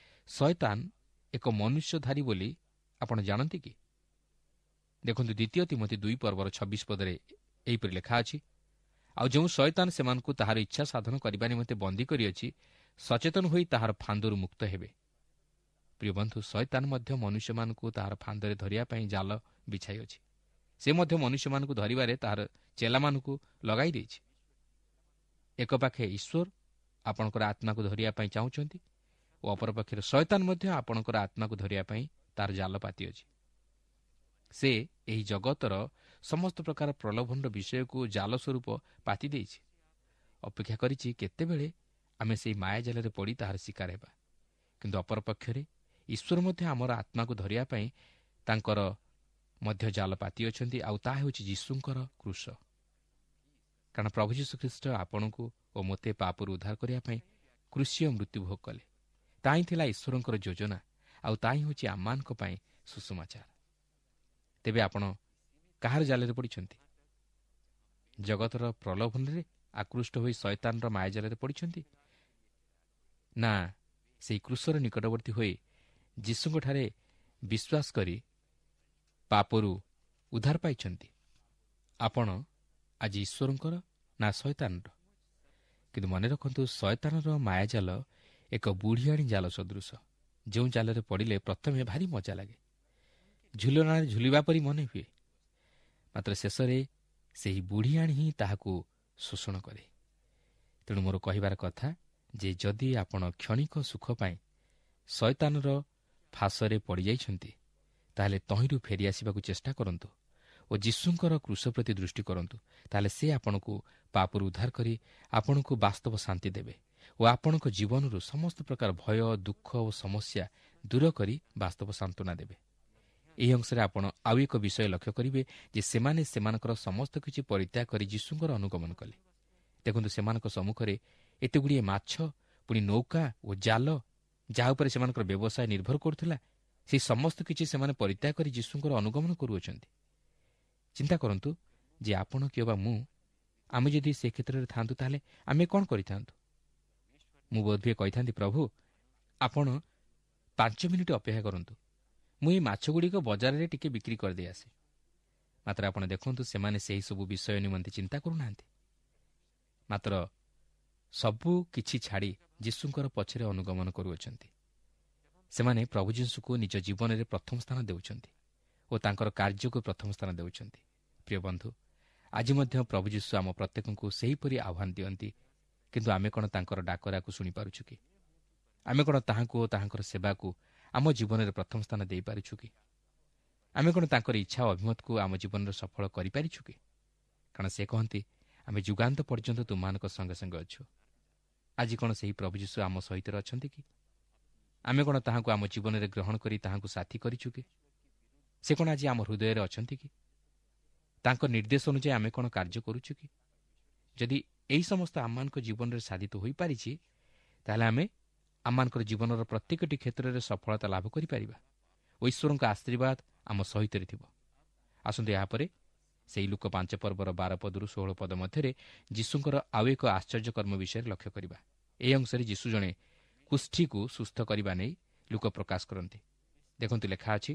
ଶୟତାନ ଏକ ମନୁଷ୍ୟଧାରୀ ବୋଲି ଆପଣ ଜାଣନ୍ତି କି? ଦେଖନ୍ତୁ, ଦ୍ୱିତୀୟ ତିମୋଥି ଦୁଇ ପର୍ବର ଛବିଶ ପଦରେ ଏହିପରି ଲେଖା ଅଛି, ଆଉ ଯେଉଁ ଶୟତାନ ସେମାନଙ୍କୁ ତାହାର ଇଚ୍ଛା ସାଧନ କରିବା ନିମନ୍ତେ ବନ୍ଦୀ କରିଅଛି, ସଚେତନ ହୋଇ ତାହାର ଫାନ୍ଦରୁ ମୁକ୍ତ ହେବେ। ପ୍ରିୟ ବନ୍ଧୁ, ଶୟତାନ ମଧ୍ୟ ମନୁଷ୍ୟମାନଙ୍କୁ ତାହାର ଫାନ୍ଦରେ ଧରିବା ପାଇଁ ଜାଲ ବିଛାଇଅଛି। ସେ ମଧ୍ୟ ମନୁଷ୍ୟମାନଙ୍କୁ ଧରିବାରେ ତାହାର ଚେଲାମାନଙ୍କୁ ଲଗାଇ ଦେଇଛି। ଏକ ପାଖେ ଈଶ୍ୱର ଆପଣଙ୍କର ଆତ୍ମାକୁ ଧରିବା ପାଇଁ ଚାହୁଁଛନ୍ତି ଓ ଅପରପକ୍ଷରେ ଶୟତାନ ମଧ୍ୟ ଆପଣଙ୍କର ଆତ୍ମାକୁ ଧରିବା ପାଇଁ ତାର ଜାଲ ପାତିଅଛି। ସେ ଏହି ଜଗତର ସମସ୍ତ ପ୍ରକାର ପ୍ରଲୋଭନର ବିଷୟକୁ ଜାଲ ସ୍ୱରୂପ ପାତି ଦେଇଛି। ଅପେକ୍ଷା କରିଛି କେତେବେଳେ ଆମେ ସେହି ମାୟା ଜାଲରେ ପଡ଼ି ତାହାର ଶିକାର ହେବା। କିନ୍ତୁ ଅପରପକ୍ଷରେ ଈଶ୍ୱର ମଧ୍ୟ ଆମର ଆତ୍ମାକୁ ଧରିବା ପାଇଁ ତାଙ୍କର ମଧ୍ୟ ଜାଲ ପାତିଅଛନ୍ତି, ଆଉ ତାହା ହେଉଛି ଯୀଶୁଙ୍କର କ୍ରୁଶ। କାରଣ ପ୍ରଭୁ ଯୀଶୁଖ୍ରୀଷ୍ଟ ଆପଣଙ୍କୁ ଓ ମୋତେ ପାପରୁ ଉଦ୍ଧାର କରିବା ପାଇଁ କ୍ରୁଶୀୟ ମୃତ୍ୟୁ ଭୋଗ କଲେ। ତାହା ହିଁ ଥିଲା ଈଶ୍ୱରଙ୍କର ଯୋଜନା, ଆଉ ତାହା ହିଁ ହେଉଛି ଆମମାନଙ୍କ ପାଇଁ ସୁସମାଚାର। ତେବେ ଆପଣ କାହାର ଜାଲରେ ପଡ଼ିଛନ୍ତି? ଜଗତର ପ୍ରଲୋଭନରେ ଆକୃଷ୍ଟ ହୋଇ ଶୟତାନର ମାୟାଜାଲରେ ପଡ଼ିଛନ୍ତି, ନା ସେହି କ୍ରୁଶର ନିକଟବର୍ତ୍ତୀ ହୋଇ ଯୀଶୁଙ୍କଠାରେ ବିଶ୍ୱାସ କରି ପାପରୁ ଉଦ୍ଧାର ପାଇଛନ୍ତି? ଆପଣ ଆଜି ଈଶ୍ୱରଙ୍କର ନା ଶୟତାନର? କିନ୍ତୁ ମନେ ରଖନ୍ତୁ, ଶୟତାନର ମାୟାଜାଲ ଏକ ବୁଢ଼ିଆଣୀ ଜାଲ ସଦୃଶ, ଯେଉଁ ଜାଲରେ ପଡ଼ିଲେ ପ୍ରଥମେ ଭାରି ମଜା ଲାଗେ, ଝୁଲଣାରେ ଝୁଲିବା ପରି ମନେ ହୁଏ, ମାତ୍ର ଶେଷରେ ସେହି ବୁଢ଼ିଆଣୀ ହିଁ ତାହାକୁ ଶୋଷଣ କରେ। ତେଣୁ ମୋର କହିବାର କଥା ଯେ ଯଦି ଆପଣ କ୍ଷଣିକ ସୁଖ ପାଇଁ ଶୟତାନର ଫାଶରେ ପଡ଼ିଯାଇଛନ୍ତି, ତାହେଲେ ତହିଁରୁ ଫେରିଆସିବାକୁ ଚେଷ୍ଟା କରନ୍ତୁ ଓ ଯୀଶୁଙ୍କର କ୍ରୁଶ ପ୍ରତି ଦୃଷ୍ଟି କରନ୍ତୁ। ତାହେଲେ ସେ ଆପଣଙ୍କୁ ପାପରୁ ଉଦ୍ଧାର କରି ଆପଣଙ୍କୁ ବାସ୍ତବ ଶାନ୍ତି ଦେବେ ଓ ଆପଣଙ୍କ ଜୀବନରୁ ସମସ୍ତ ପ୍ରକାର ଭୟ, ଦୁଃଖ ଓ ସମସ୍ୟା ଦୂର କରି ବାସ୍ତବ ସାନ୍ତ୍ୱନା ଦେବେ। ଏହି ଅଂଶରେ ଆପଣ ଆଉ ଏକ ବିଷୟ ଲକ୍ଷ୍ୟ କରିବେ ଯେ ସେମାନେ ସେମାନଙ୍କର ସମସ୍ତ କିଛି ପରିତ୍ୟାଗ କରି ଯୀଶୁଙ୍କର ଅନୁଗମନ କଲେ। ଦେଖନ୍ତୁ, ସେମାନଙ୍କ ସମ୍ମୁଖରେ ଏତେଗୁଡ଼ିଏ ମାଛ, ପୁଣି ନୌକା ଓ ଜାଲ, ଯାହା ଉପରେ ସେମାନଙ୍କର ବ୍ୟବସାୟ ନିର୍ଭର କରୁଥିଲା, ସେହି ସମସ୍ତ କିଛି ସେମାନେ ପରିତ୍ୟାଗ କରି ଯୀଶୁଙ୍କର ଅନୁଗମନ କରୁଅଛନ୍ତି। ଚିନ୍ତା କରନ୍ତୁ ଯେ ଆପଣ କିମ୍ବା ମୁଁ, ଆମେ ଯଦି ସେ କ୍ଷେତ୍ରରେ ଥାଆନ୍ତୁ ତାହେଲେ ଆମେ କ'ଣ କରିଥାନ୍ତୁ? ମୁଁ ବୋଧହୁଏ କହିଥାନ୍ତି, ପ୍ରଭୁ ଆପଣ ପାଞ୍ଚ ମିନିଟ୍ ଅପେକ୍ଷା କରନ୍ତୁ, ମୁଁ ଏହି ମାଛଗୁଡ଼ିକ ବଜାରରେ ଟିକେ ବିକ୍ରି କରିଦେଇ ଆସେ। ମାତ୍ର ଆପଣ ଦେଖନ୍ତୁ, ସେମାନେ ସେହିସବୁ ବିଷୟ ନିମନ୍ତେ ଚିନ୍ତା କରୁନାହାନ୍ତି, ମାତ୍ର ସବୁ କିଛି ଛାଡ଼ି ଯୀଶୁଙ୍କର ପଛରେ ଅନୁଗମନ କରୁଅଛନ୍ତି। ସେମାନେ ପ୍ରଭୁ ଯୀଶୁଙ୍କୁ ନିଜ ଜୀବନରେ ପ୍ରଥମ ସ୍ଥାନ ଦେଉଛନ୍ତି ଓ ତାଙ୍କର କାର୍ଯ୍ୟକୁ ପ୍ରଥମ ସ୍ଥାନ ଦେଉଛନ୍ତି। ପ୍ରିୟ ବନ୍ଧୁ, ଆଜି ମଧ୍ୟ ପ୍ରଭୁ ଯୀଶୁ ଆମ ପ୍ରତ୍ୟେକଙ୍କୁ ସେହିପରି ଆହ୍ୱାନ ଦିଅନ୍ତି, କିନ୍ତୁ ଆମେ କ'ଣ ତାଙ୍କର ଡାକରାକୁ ଶୁଣିପାରୁଛୁ କି? ଆମେ କ'ଣ ତାହାଙ୍କୁ ଓ ତାହାଙ୍କର ସେବାକୁ ଆମ ଜୀବନରେ ପ୍ରଥମ ସ୍ଥାନ ଦେଇପାରୁଛୁ କି? ଆମେ କ'ଣ ତାଙ୍କର ଇଚ୍ଛା ଓ ଅଭିମତକୁ ଆମ ଜୀବନରେ ସଫଳ କରିପାରିଛୁ କି? କାରଣ ସେ କହନ୍ତି, ଆମେ ଯୁଗାନ୍ତ ପର୍ଯ୍ୟନ୍ତ ତୁମମାନଙ୍କ ସଙ୍ଗେ ସଙ୍ଗେ ଅଛୁ। ଆଜି କ'ଣ ସେହି ପ୍ରଭୁ ଯୀଶୁ ଆମ ସହିତ ଅଛନ୍ତି କି? ଆମେ କ'ଣ ତାହାଙ୍କୁ ଆମ ଜୀବନରେ ଗ୍ରହଣ କରି ତାହାଙ୍କୁ ସାଥୀ କରିଛୁ କି? ସେ କ'ଣ ଆଜି ଆମ ହୃଦୟରେ ଅଛନ୍ତି କି? ତାଙ୍କ ନିର୍ଦ୍ଦେଶ ଅନୁଯାୟୀ ଆମେ କ'ଣ କାର୍ଯ୍ୟ କରୁଛୁ କି? ଯଦି ଏହି ସମସ୍ତ ଆମମାନଙ୍କ ଜୀବନରେ ସାଧିତ ହୋଇପାରିଛି, ତାହେଲେ ଆମେ ଆମମାନଙ୍କର ଜୀବନର ପ୍ରତ୍ୟେକଟି କ୍ଷେତ୍ରରେ ସଫଳତା ଲାଭ କରିପାରିବା ଓ ଈଶ୍ୱରଙ୍କ ଆଶୀର୍ବାଦ ଆମ ସହିତରେ ଥିବ। ଆସନ୍ତୁ ଏହାପରେ ସେହି ଲୂକ ପାଞ୍ଚ ପର୍ବର ବାର ପଦରୁ ଷୋହଳ ପଦ ମଧ୍ୟରେ ଯୀଶୁଙ୍କର ଆଉ ଏକ ଆଶ୍ଚର୍ଯ୍ୟକର୍ମ ବିଷୟରେ ଲକ୍ଷ୍ୟ କରିବା। ଏହି ଅଂଶରେ ଯୀଶୁ ଜଣେ କୁଷ୍ଠୀକୁ ସୁସ୍ଥ କରିବା ନେଇ ଲୂକ ପ୍ରକାଶ କରନ୍ତି। ଦେଖନ୍ତୁ, ଲେଖା ଅଛି,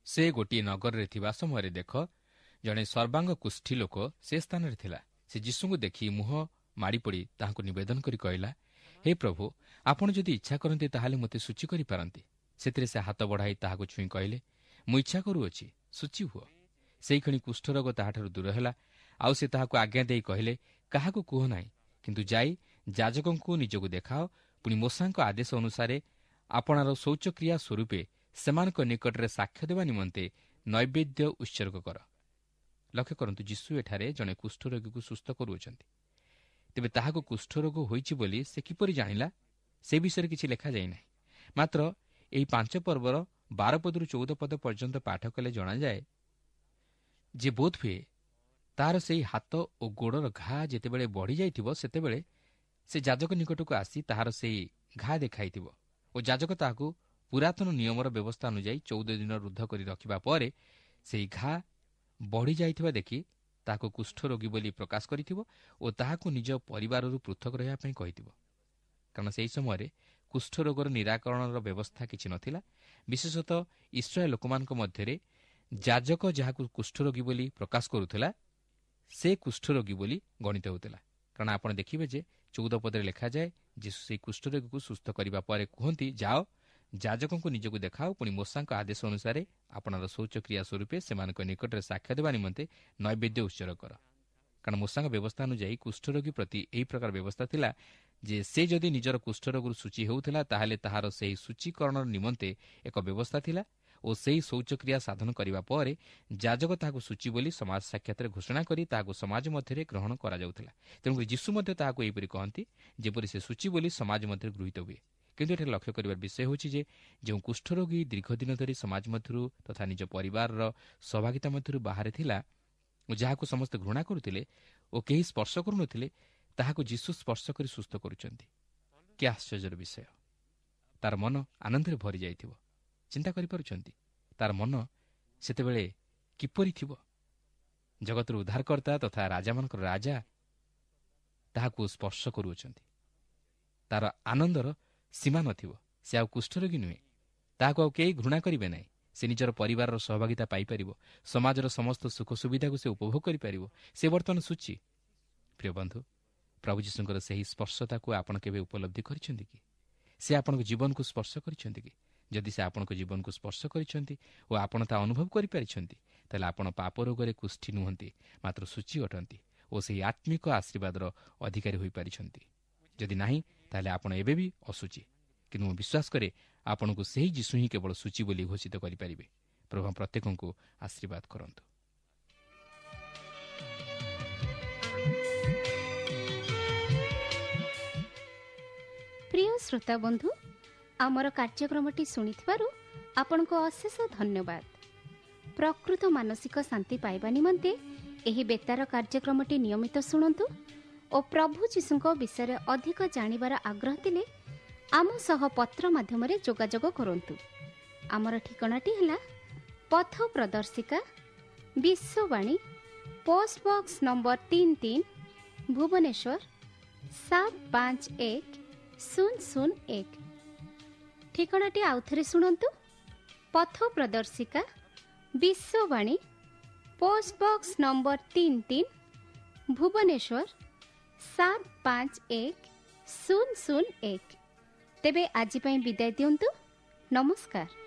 ସେ ଗୋଟିଏ ନଗରରେ ଥିବା ସମୟରେ ଦେଖ, ଜଣେ ସର୍ବାଙ୍ଗ କୁଷ୍ଠୀ ଲୋକ ସେ ସ୍ଥାନରେ ଥିଲା। ସେ ଯୀଶୁଙ୍କୁ ଦେଖି ମୁହଁ ମାଡ଼ିପଡ଼ି ତାହାଙ୍କୁ ନିବେଦନ କରି କହିଲା, ହେ ପ୍ରଭୁ, ଆପଣ ଯଦି ଇଚ୍ଛା କରନ୍ତି ତାହେଲେ ମୋତେ ସୂଚୀ କରିପାରନ୍ତି। ସେଥିରେ ସେ ହାତ ବଢ଼ାଇ ତାହାକୁ ଛୁଇଁ କହିଲେ, ମୁଁ ଇଚ୍ଛା କରୁଅଛି, ସୂଚୀ ହୁଅ। ସେଇକ୍ଷଣି କୁଷ୍ଠରୋଗ ତାହାଠାରୁ ଦୂର ହେଲା। ଆଉ ସେ ତାହାକୁ ଆଜ୍ଞା ଦେଇ କହିଲେ, କାହାକୁ କୁହ ନାହିଁ, କିନ୍ତୁ ଯାଇ ଯାଜକଙ୍କୁ ନିଜକୁ ଦେଖାଅ, ପୁଣି ମୋଶାଙ୍କ ଆଦେଶ ଅନୁସାରେ ଆପଣାର ଶୌଚକ୍ରିୟା ସ୍ୱରୂପେ ସେମାନଙ୍କ ନିକଟରେ ସାକ୍ଷ୍ୟ ଦେବା ନିମନ୍ତେ ନୈବେଦ୍ୟ ଉତ୍ସର୍ଗ କର। ଲକ୍ଷ୍ୟ କରନ୍ତୁ, ଯୀଶୁ ଏଠାରେ ଜଣେ କୁଷ୍ଠରୋଗୀକୁ ସୁସ୍ଥ କରୁଅଛନ୍ତି। ତେବେ ତାହାକୁ କୁଷ୍ଠରୋଗ ହୋଇଛି ବୋଲି ସେ କିପରି ଜାଣିଲା ସେ ବିଷୟରେ କିଛି ଲେଖାଯାଇ ନାହିଁ। ମାତ୍ର ଏହି ପାଞ୍ଚ ପର୍ବର ବାର ପଦରୁ ଚଉଦ ପଦ ପର୍ଯ୍ୟନ୍ତ ପାଠ କଲେ ଜଣାଯାଏ ଯେ ବୋଧହୁଏ ତାହାର ସେହି ହାତ ଓ ଗୋଡ଼ର ଘା ଯେତେବେଳେ ବଢ଼ିଯାଇଥିବ, ସେତେବେଳେ ସେ ଯାଜକ ନିକଟକୁ ଆସି ତାହାର ସେହି ଘା ଦେଖାଇଥିବ ଓ ଯାଜକ ତାହାକୁ ପୁରାତନ ନିୟମର ବ୍ୟବସ୍ଥା ଅନୁଯାୟୀ ଚଉଦ ଦିନ ରୁଦ୍ଧ କରି ରଖିବା ପରେ ସେହି ଘା ବଢ଼ିଯାଇଥିବା ଦେଖି ତାହାକୁ କୁଷ୍ଠରୋଗୀ ବୋଲି ପ୍ରକାଶ କରିଥିବ ଓ ତାହାକୁ ନିଜ ପରିବାରରୁ ପୃଥକ ରହିବା ପାଇଁ କହିଥିବ। କାରଣ ସେହି ସମୟରେ କୁଷ୍ଠରୋଗର ନିରାକରଣର ବ୍ୟବସ୍ଥା କିଛି ନଥିଲା। ବିଶେଷତଃ ଇସ୍ରାଏଲ ଲୋକମାନଙ୍କ ମଧ୍ୟରେ ଯାଜକ ଯାହାକୁ କୁଷ୍ଠରୋଗୀ ବୋଲି ପ୍ରକାଶ କରୁଥିଲା, ସେ କୁଷ୍ଠରୋଗୀ ବୋଲି ଗଣିତ ହେଉଥିଲା। କାରଣ ଆପଣ ଦେଖିବେ ଯେ ଚଉଦ ପଦରେ ଲେଖାଯାଏ, ଯୀଶୁ ସେହି କୁଷ୍ଠରୋଗୀକୁ ସୁସ୍ଥ କରିବା ପରେ କୁହନ୍ତି, ଯାଅ ଯାଜକଙ୍କୁ ନିଜକୁ ଦେଖାଅ, ପୁଣି ମୋଶାଙ୍କ ଆଦେଶ ଅନୁସାରେ ଆପଣାର ଶୌଚକ୍ରିୟା ସ୍ୱରୂପେ ସେମାନଙ୍କ ନିକଟରେ ସାକ୍ଷ୍ୟ ଦେବା ନିମନ୍ତେ ନୈବେଦ୍ୟ ଉତ୍ସର୍ଗ କର। କାରଣ ମୋଶାଙ୍କ ବ୍ୟବସ୍ଥା ଅନୁଯାୟୀ କୁଷ୍ଠରୋଗୀ ପ୍ରତି ଏହି ପ୍ରକାର ବ୍ୟବସ୍ଥା ଥିଲା ଯେ ସେ ଯଦି ନିଜର କୁଷ୍ଠରୋଗରୁ ସୂଚୀ ହେଉଥିଲା, ତାହେଲେ ତାହାର ସେହି ସୂଚୀକରଣ ନିମନ୍ତେ ଏକ ବ୍ୟବସ୍ଥା ଥିଲା ଓ ସେହି ଶୌଚକ୍ରିୟା ସାଧନ କରିବା ପରେ ଯାଜକ ତାହାକୁ ସୂଚୀ ବୋଲି ସମାଜ ସାକ୍ଷାତରେ ଘୋଷଣା କରି ତାହାକୁ ସମାଜ ମଧ୍ୟରେ ଗ୍ରହଣ କରାଯାଉଥିଲା। ତେଣୁକରି ଯୀଶୁ ମଧ୍ୟ ତାହାକୁ ଏହିପରି କହନ୍ତି, ଯେପରି ସେ ସୂଚୀ ବୋଲି ସମାଜ ମଧ୍ୟରେ ଗୃହୀତ ହୁଏ। କିନ୍ତୁ ଏଠାରେ ଲକ୍ଷ୍ୟ କରିବାର ବିଷୟ ହେଉଛି ଯେ ଯେଉଁ କୁଷ୍ଠରୋଗୀ ଦୀର୍ଘଦିନ ଧରି ସମାଜ ମଧ୍ୟରୁ ତଥା ନିଜ ପରିବାରର ସହଭାଗିତା ମଧ୍ୟରୁ ବାହାରେ ଥିଲା ଓ ଯାହାକୁ ସମସ୍ତେ ଘୃଣା କରୁଥିଲେ ଓ କେହି ସ୍ପର୍ଶ କରୁନଥିଲେ, ତାହାକୁ ଯୀଶୁ ସ୍ପର୍ଶ କରି ସୁସ୍ଥ କରୁଛନ୍ତି। କି ଆଶ୍ଚର୍ଯ୍ୟର ବିଷୟ! ତାର ମନ ଆନନ୍ଦରେ ଭରି ଯାଇଥିବ। ଚିନ୍ତା କରିପାରୁଛନ୍ତି ତାର ମନ ସେତେବେଳେ କିପରି ଥିବ? ଜଗତର ଉଦ୍ଧାରକର୍ତ୍ତା ତଥା ରାଜାମାନଙ୍କର ରାଜା ତାହାକୁ ସ୍ପର୍ଶ କରୁଅଛନ୍ତି। ତାର ଆନନ୍ଦର ସୀମା ନଥିବ। ସେ ଆଉ କୁଷ୍ଠରୋଗୀ ନୁହେଁ, ତାହାକୁ ଆଉ କେହି ଘୃଣା କରିବେ ନାହିଁ। ସେ ନିଜର ପରିବାରର ସହଭାଗିତା ପାଇପାରିବ, ସମାଜର ସମସ୍ତ ସୁଖ ସୁବିଧାକୁ ସେ ଉପଭୋଗ କରିପାରିବ। ସେ ବର୍ତ୍ତମାନ ସୂଚୀ। ପ୍ରିୟ ବନ୍ଧୁ, ପ୍ରଭୁ ଯୀଶୁଙ୍କର ସେହି ସ୍ପର୍ଶତାକୁ ଆପଣ କେବେ ଉପଲବ୍ଧି କରିଛନ୍ତି କି? ସେ ଆପଣଙ୍କ ଜୀବନକୁ ସ୍ପର୍ଶ କରିଛନ୍ତି କି? ଯଦି ସେ ଆପଣଙ୍କ ଜୀବନକୁ ସ୍ପର୍ଶ କରିଛନ୍ତି ଓ ଆପଣ ତାହା ଅନୁଭବ କରିପାରିଛନ୍ତି, ତାହେଲେ ଆପଣ ପାପ ରୋଗରେ କୁଷ୍ଠି ନୁହନ୍ତି, ମାତ୍ର ସୂଚୀ ଅଟନ୍ତି ଓ ସେହି ଆତ୍ମିକ ଆଶୀର୍ବାଦର ଅଧିକାରୀ ହୋଇପାରିଛନ୍ତି। ଯଦି ନାହିଁ, ତାହେଲେ ଆପଣ ଏବେ ବି ଅଶୁଚି। କିନ୍ତୁ ମୁଁ ବିଶ୍ୱାସ କରେ ଆପଣଙ୍କୁ ସେହି ଯୀଶୁ ହିଁ କେବଳ ସୂଚୀ ବୋଲି ଘୋଷିତ କରିପାରିବେ। ପ୍ରଭୁ ପ୍ରତ୍ୟେକଙ୍କୁ ଆଶୀର୍ବାଦ କରନ୍ତୁ। ପ୍ରିୟ ଶ୍ରୋତା ବନ୍ଧୁ, ଆମର କାର୍ଯ୍ୟକ୍ରମଟି ଶୁଣିଥିବାରୁ ଆପଣଙ୍କୁ ଅଶେଷ ଧନ୍ୟବାଦ। ପ୍ରକୃତ ମାନସିକ ଶାନ୍ତି ପାଇବା ନିମନ୍ତେ ଏହି ବେତାର କାର୍ଯ୍ୟକ୍ରମଟି ନିୟମିତ ଶୁଣନ୍ତୁ ଓ ପ୍ରଭୁ ଯୀଶୁଙ୍କ ବିଷୟରେ ଅଧିକ ଜାଣିବାର ଆଗ୍ରହ ଥିଲେ ଆମ ସହ ପତ୍ର ମାଧ୍ୟମରେ ଯୋଗାଯୋଗ କରନ୍ତୁ। ଆମର ଠିକଣାଟି ହେଲା ପଥ ପ୍ରଦର୍ଶିକା, ବିଶ୍ୱବାଣୀ, ପୋଷ୍ଟ ବକ୍ସ ନମ୍ବର ତିନି ତିନି, ଭୁବନେଶ୍ୱର ସାତ ପାଞ୍ଚ ଏକ ଶୂନ ଶୂନ ଏକ। ଠିକଣାଟି ଆଉଥରେ ଶୁଣନ୍ତୁ, ପଥ ପ୍ରଦର୍ଶିକା, ବିଶ୍ୱବାଣୀ, ପୋଷ୍ଟ ବକ୍ସ ନମ୍ବର ତିନି ତିନି, ଭୁବନେଶ୍ୱର ସାତ ପାଞ୍ଚ ଏକ ଶୂନ ଶୂନ ଏକ। ତେବେ ଆଜି ପାଇଁ ବିଦାୟ ଦିଅନ୍ତୁ। ନମସ୍କାର।